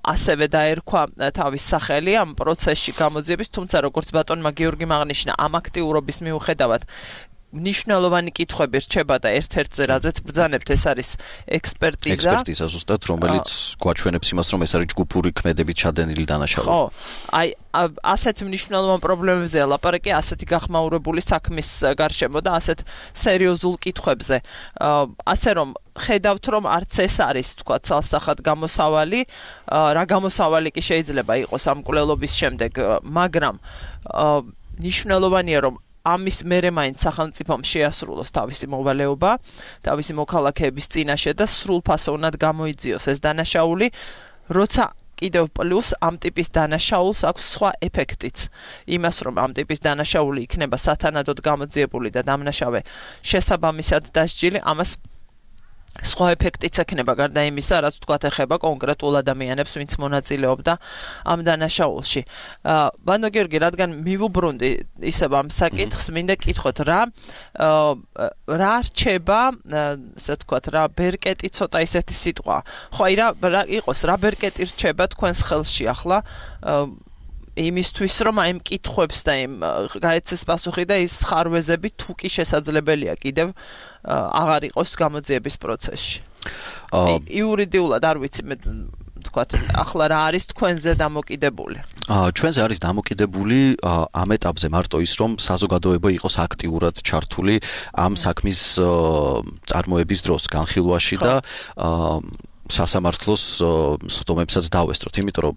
ასევე დაერქვა თავის სახელი ამ პროცესში გამოძიების, თუმცა როგორც ბატონმა გიორგი აღნიშნა, ამ აქტიურობის მიუხედავად მნიშვნელოვანი კითხვები რჩება და ერთ-ერთზე რაზეც ბრძანებთ ეს არის ექსპერტიზა ზუსტად რომელიც გვაჩვენებს იმას რომ ეს არის ჯგუფური ქმედებით ჩადენილი დანაშაული. ხო, აი ასეთ მნიშვნელოვან პრობლემებზეა ლაპარაკი, ასეთი გახმაურებული საქმის გარშემო და ასეთ სერიოზულ კითხვებზე. ასე რომ ხედავთ რომ არც ეს არის თქვა ცალსახად გამოსავალი, რა გამოსავალი კი შეიძლება იყოს ამ მკვლელობის შემდეგ, მაგრამ მნიშვნელოვანია რომ ამის მერე მაინც სახელმწიფომ შეასრულოს თავისი მოვალეობა, თავისი მოქალაქეების წინაშე და სრულფასოვნად გამოიძიოს ეს დანაშაული, როცა კიდევ პლუს ამ ტიპის დანაშაულს აქვს სხვა ეფექტიც. იმას რომ ამ ტიპის დანაშაული იქნება სათანადოდ გამოძიებული და დამნაშავე შესაბამისად დასჯილი, ამას სხვა ეფექტიც ექნება გარდა იმისა, რაც თქვათ ეხება კონკრეტულ ადამიანებს, ვინც მონაწილეობდა ამ დანაშაულში. ბანო გიორგი, რადგან მივუბრუნდი ისევ ამ საკითხს, მინდა კითხოთ რა რჩება, ასე ვთქვათ, რა ბერკეტი ცოტა ისეთი სიტყვა. ხო, აი რა იყოს, რა ბერკეტი რჩება თქვენს ხელში ახლა იმისთვის რომ აი მკითხვებს და იმ გაეცეს პასუხი და ის ხარვეზები თუ კი შესაძლებელია კიდევ აღარ იყოს გამოძიების პროცესში. იურიდიულად არ ვიცი მე თქვათ ახლა რა არის თქვენზე დამოკიდებული? ჩვენზე არის დამოკიდებული ამ ეტაპზე მარტო ის რომ საზოგადოება იყოს აქტიურად ჩართული ამ საქმის წარმოების დროს, განხილვაში და სასამართლოს სხდომებსაც დავესწროთ, იმიტომ რომ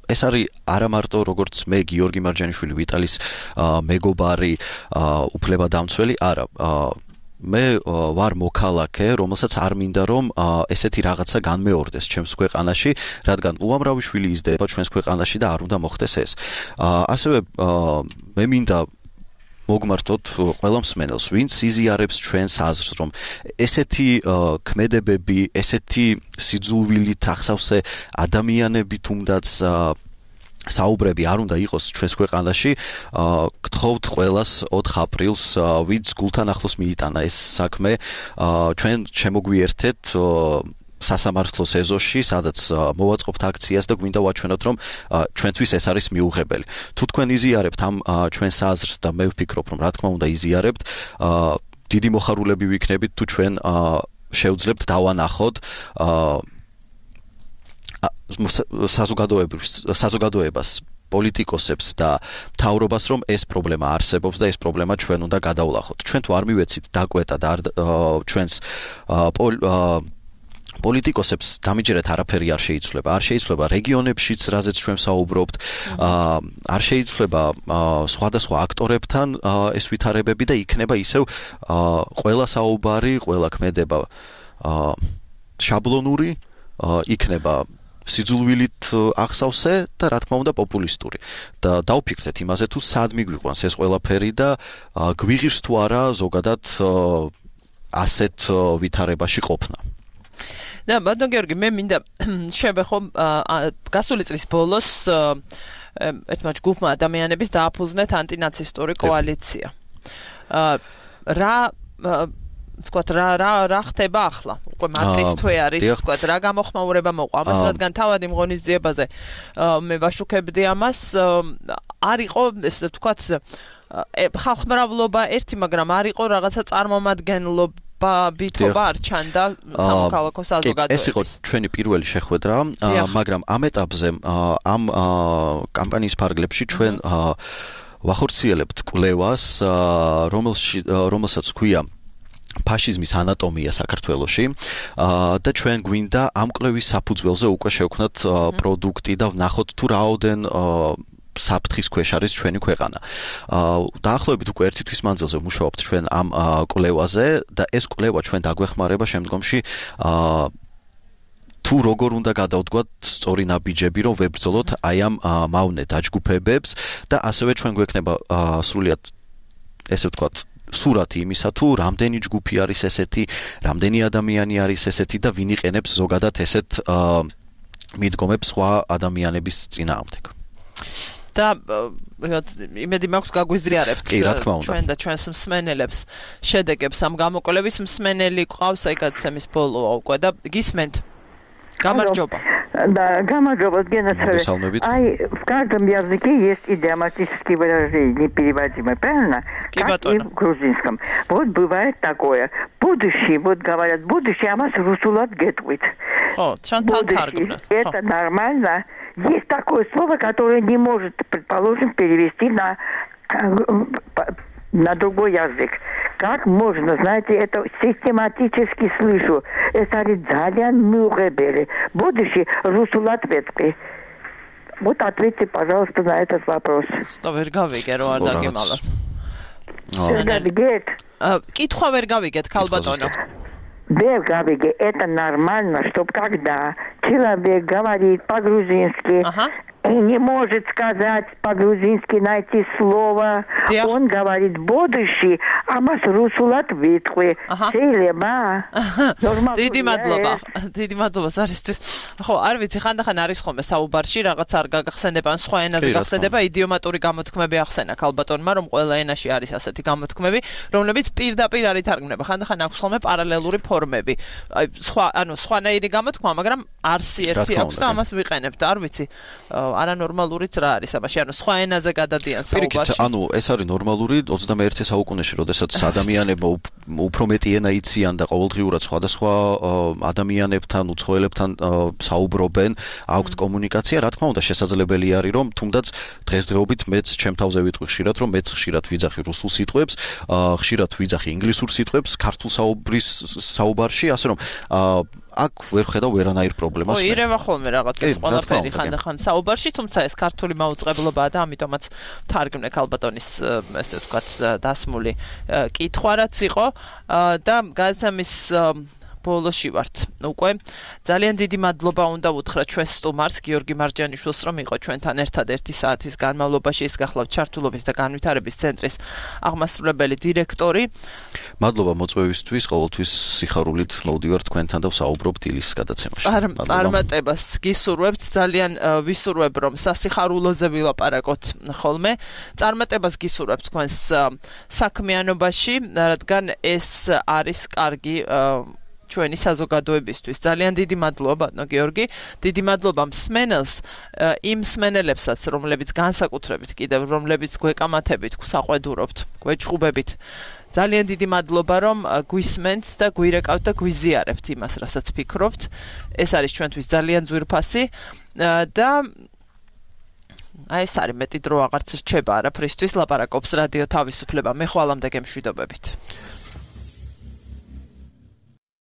ეს არის არა მარტო როგორც მე გიორგი მარჯანიშვილი ვიტალის მეგობარი უფლებადამცველი, არა მე ვარ მოქალაქე, რომელსაც არ მინდა რომ ესეთი რაღაცა განმეორდეს ჩემს ქვეყანაში, რადგან უამრავი შვილი იზრდება ჩვენს ქვეყანაში და არ უნდა მოხდეს ეს. ასევე მე მინდა მოგმართოთ ყველა მსმენელს, ვინც იზიარებს ჩვენს აზრს, რომ ესეთი ქმედებები, ესეთი სიძულვილით ახსავსე ადამიანები თუნდაც საუბრები არ უნდა იყოს ჩვენს ქვეყანაში. გთხოვთ ყველას 4 აპრილს, ვინც გულთან ახლოს მიიტანა ეს საქმე, ჩვენ შემოგვიერთეთ სასამართლოს ეზოში, სადაც მოვაწყობთ აქციას და გვინდა ვაჩვენოთ, რომ ჩვენთვის ეს არის მიუღებელი. თუ თქვენ იზიარებთ ამ ჩვენს აზრს და მე ვფიქრობ, რომ რა თქმა უნდა იზიარებთ, დიდი მოხარულები ვიქნებით, თუ ჩვენ შევძლებთ დავანახოთ საზოგადოებას, პოლიტიკოსებს და მთავრობას, რომ ეს პრობლემა არსებობს და ეს პრობლემა ჩვენ უნდა გადავლახოთ. ჩვენ თუ არ მივეცით დაკვეტა და ჩვენს პოლიტიკოსებს დამიჯერეთ არაფერი არ შეიცვლება. არ შეიცვლება რეგიონებშიც, რაზეც ჩვენ საუბრობთ, არ შეიცვლება სხვადასხვა აქტორებთან ეს ვითარებები და იქნება ისევ ყველა საუბარი, ყველა ქმედება შაბლონური, იქნება სიძულვილით ახსავსე და რა თქმა უნდა პოპულისტური. და დავფიქრეთ იმაზე, თუ სად მიგვიყვანს ეს ყველაფერი და გვიღირს თუ არა ზოგადად ასეთ ვითარებაში ყოფნა. და ბატონ გიორგი, მე მინდა შევეხო გასული წლის ბოლოს ერთმა ჯგუფმა ადამიანების დააფუძნეთ ანტინაცისტური კოალიცია. რა ხდება ახლა? უკვე მარტის თვე არის, ვთქვათ, რა გამოხმაურება მოყვა ამას, რადგან თავად იმ ღონისძიებაზე მე ვაშუქებდი ამას, არ იყო ესე ვთქვათ ხალხმრავლობა ერთი, მაგრამ არ იყო რაღაცა წარმომადგენლობა ვითობა არ ჩანდა სამოქალაქო საზოგადოების. ეს იყო ჩვენი პირველი შეხვედრა, მაგრამ ამ ეტაპზე ამ კამპანიის ფარგლებში ჩვენ ვახორციელებთ კვლევას, რომელსაც ჰქვია ფაშიზმის ანატომია საქართველოში და ჩვენ გვინდა ამ კვლევის საფუძველზე უკვე შევქმნათ პროდუქტი და ვნახოთ თუ რაოდენ საფრთხის ქვეშ არის ჩვენი ქვეყანა. დაახლოებით უკვე 1 თვის მანძილზე ვმუშაობთ ჩვენ ამ კვლევაზე და ეს კვლევა ჩვენ დაგვეხმარება შემდგომში თუ როგორ უნდა გადავდგათ სწორი ნაბიჯები, რომ ვებრძოლოთ აი ამ მავნე დაჯგუფებებს და ასევე ჩვენ გვექნება სრულიად ესე ვთქვათ სურათი იმისა, თუ რამდენი ჯგუფი არის ესეთი, რამდენი ადამიანი არის ესეთი და ვინ იყენებს ზოგადად ესეთ მიდგომებს სხვა ადამიანების წინააღმდეგ. და იმედი მაქვს გაგვიზიარებთ ჩვენ და ჩვენს მსმენელებს შედეგებს ამ გამოკვლევის. მსმენელი ყავს აი გადაცემის ბოლოა უკვე და გისმენთ. Გამარჯობა. Да, გამარჯობა, генерал. Ай, в каждом языке есть идиоматические выражения, переводимые, правильно? Как и в грузинском. Вот бывает такое. Будущее, вот говорят, будущее, а нас русулат гетвит. Будущее, это нормально. Есть такое слово, которое не может, предположим, перевести на другой язык. Как можно, знаете, это систематически слышу. Это Ридзалиан Мюребели. Будущий Русулат Ветки. Вот ответьте, пожалуйста, на этот вопрос. Что ვერ გავიგე რო არ დაგემალა. Გავიგეთ? კითხვა ვერ გავიგეთ, ქალბატონო. Ვერ გავიგე, это нормально, чтобы когда человек говорит по-грузински, не может сказать по-грузински найти слово. Он говорит будущий, а მას რუსულად ვიტყვი. შეიძლება? დიდი მადლობა. დიდი მადლობა სარისთვის. ხო, არ ვიცი, ხანდახან არის ხოლმე საუბარში რაღაც არ გაგახსენდება, ან სხვა ენაზე გახსენდება, იდიომატური გამოთქმები ახსენა ქალბატონმა, რომ ყველა ენაში არის ასეთი გამოთქმები, რომლებიც პირდაპირ არ ითარგმნება. ხანდახან აქვს ხოლმე პარალელური ფორმები. აი, სხვანაირი გამოთქმა, მაგრამ არსი ერთი აქვს და ამას ვიყენებთ, არ ვიცი. არანორმალურიც რა არის ამაში, ანუ სხვა ენაზე გადადიან საუბარში. ანუ ეს არის ნორმალური 21 საუკუნეში, როდესაც ადამიანებმა უფრო მეტი ენა იციან და ყოველდღიურად სხვადასხვა ადამიანებთან, უცხოელებთან საუბრობენ, აქვთ კომუნიკაცია, რა თქმა უნდა, შესაძლებელი არის, რომ თუნდაც დღესდღეობით მეც ჩემ თავზე ვიტყვი ხშირად, რომ მეც ხშირად ვიძახი რუსულ სიტყვებს, ხშირად ვიძახი ინგლისურ სიტყვებს, ქართულ საუბარში, ასე რომ აქ ვერ ხედავ ვერანაირ პრობლემას. ირევა ხოლმე რაღაცას ყველაფერი ხანდახან საუბარში, თუმცა ეს ქართული მაუწყებლობაა და ამიტომაც თარგმნე ქალბატონის ესე ვთქვათ დასმული კითხვა რაც იყო და გადაცემის ბოლოში ვართ უკვე ძალიან დიდი მადლობა უნდა უთხრა ჩვენ სტუმარს გიორგი მარჯანიშვილს რომ იყო ჩვენთან ერთად 1 საათის განმავლობაში ის გახლავთ ჩართულობის და განვითარების ცენტრის აღმასრულებელი დირექტორი მადლობა მოწვევისთვის ყოველთვის სიხარულით მოვდივარ თქვენთან და ვსაუბრობ დილის გადაცემაში წარმატებას გისურვებთ ძალიან ვისურვებ რომ სასიხარულოზე ვილაპარაკოთ ხოლმე წარმატებას გისურვებთ თქვენს საქმიანობაში რადგან ეს არის კარგი ჩვენი საზოგადოებისთვის. ძალიან დიდი მადლობა, ბატონო გიორგი. დიდი მადლობა მსმენელს, იმ მსმენელებსაც, რომლებიც განსაკუთრებით კიდევ რომლებიც გვეკამათებით, საყვედურობთ, გვეჭხუბებით. ძალიან დიდი მადლობა, რომ გვისმენთ და გვირეკავთ და გვიზიარებთ იმას, რასაც ფიქრობთ. ეს არის ჩვენთვის ძალიან ძვირფასი და აი ეს არის მეტი დრო აღარც რჩება არაფრისთვის ლაპარაკობს რადიო თავისუფლება. მე ხვალამდე გემშვიდობებით.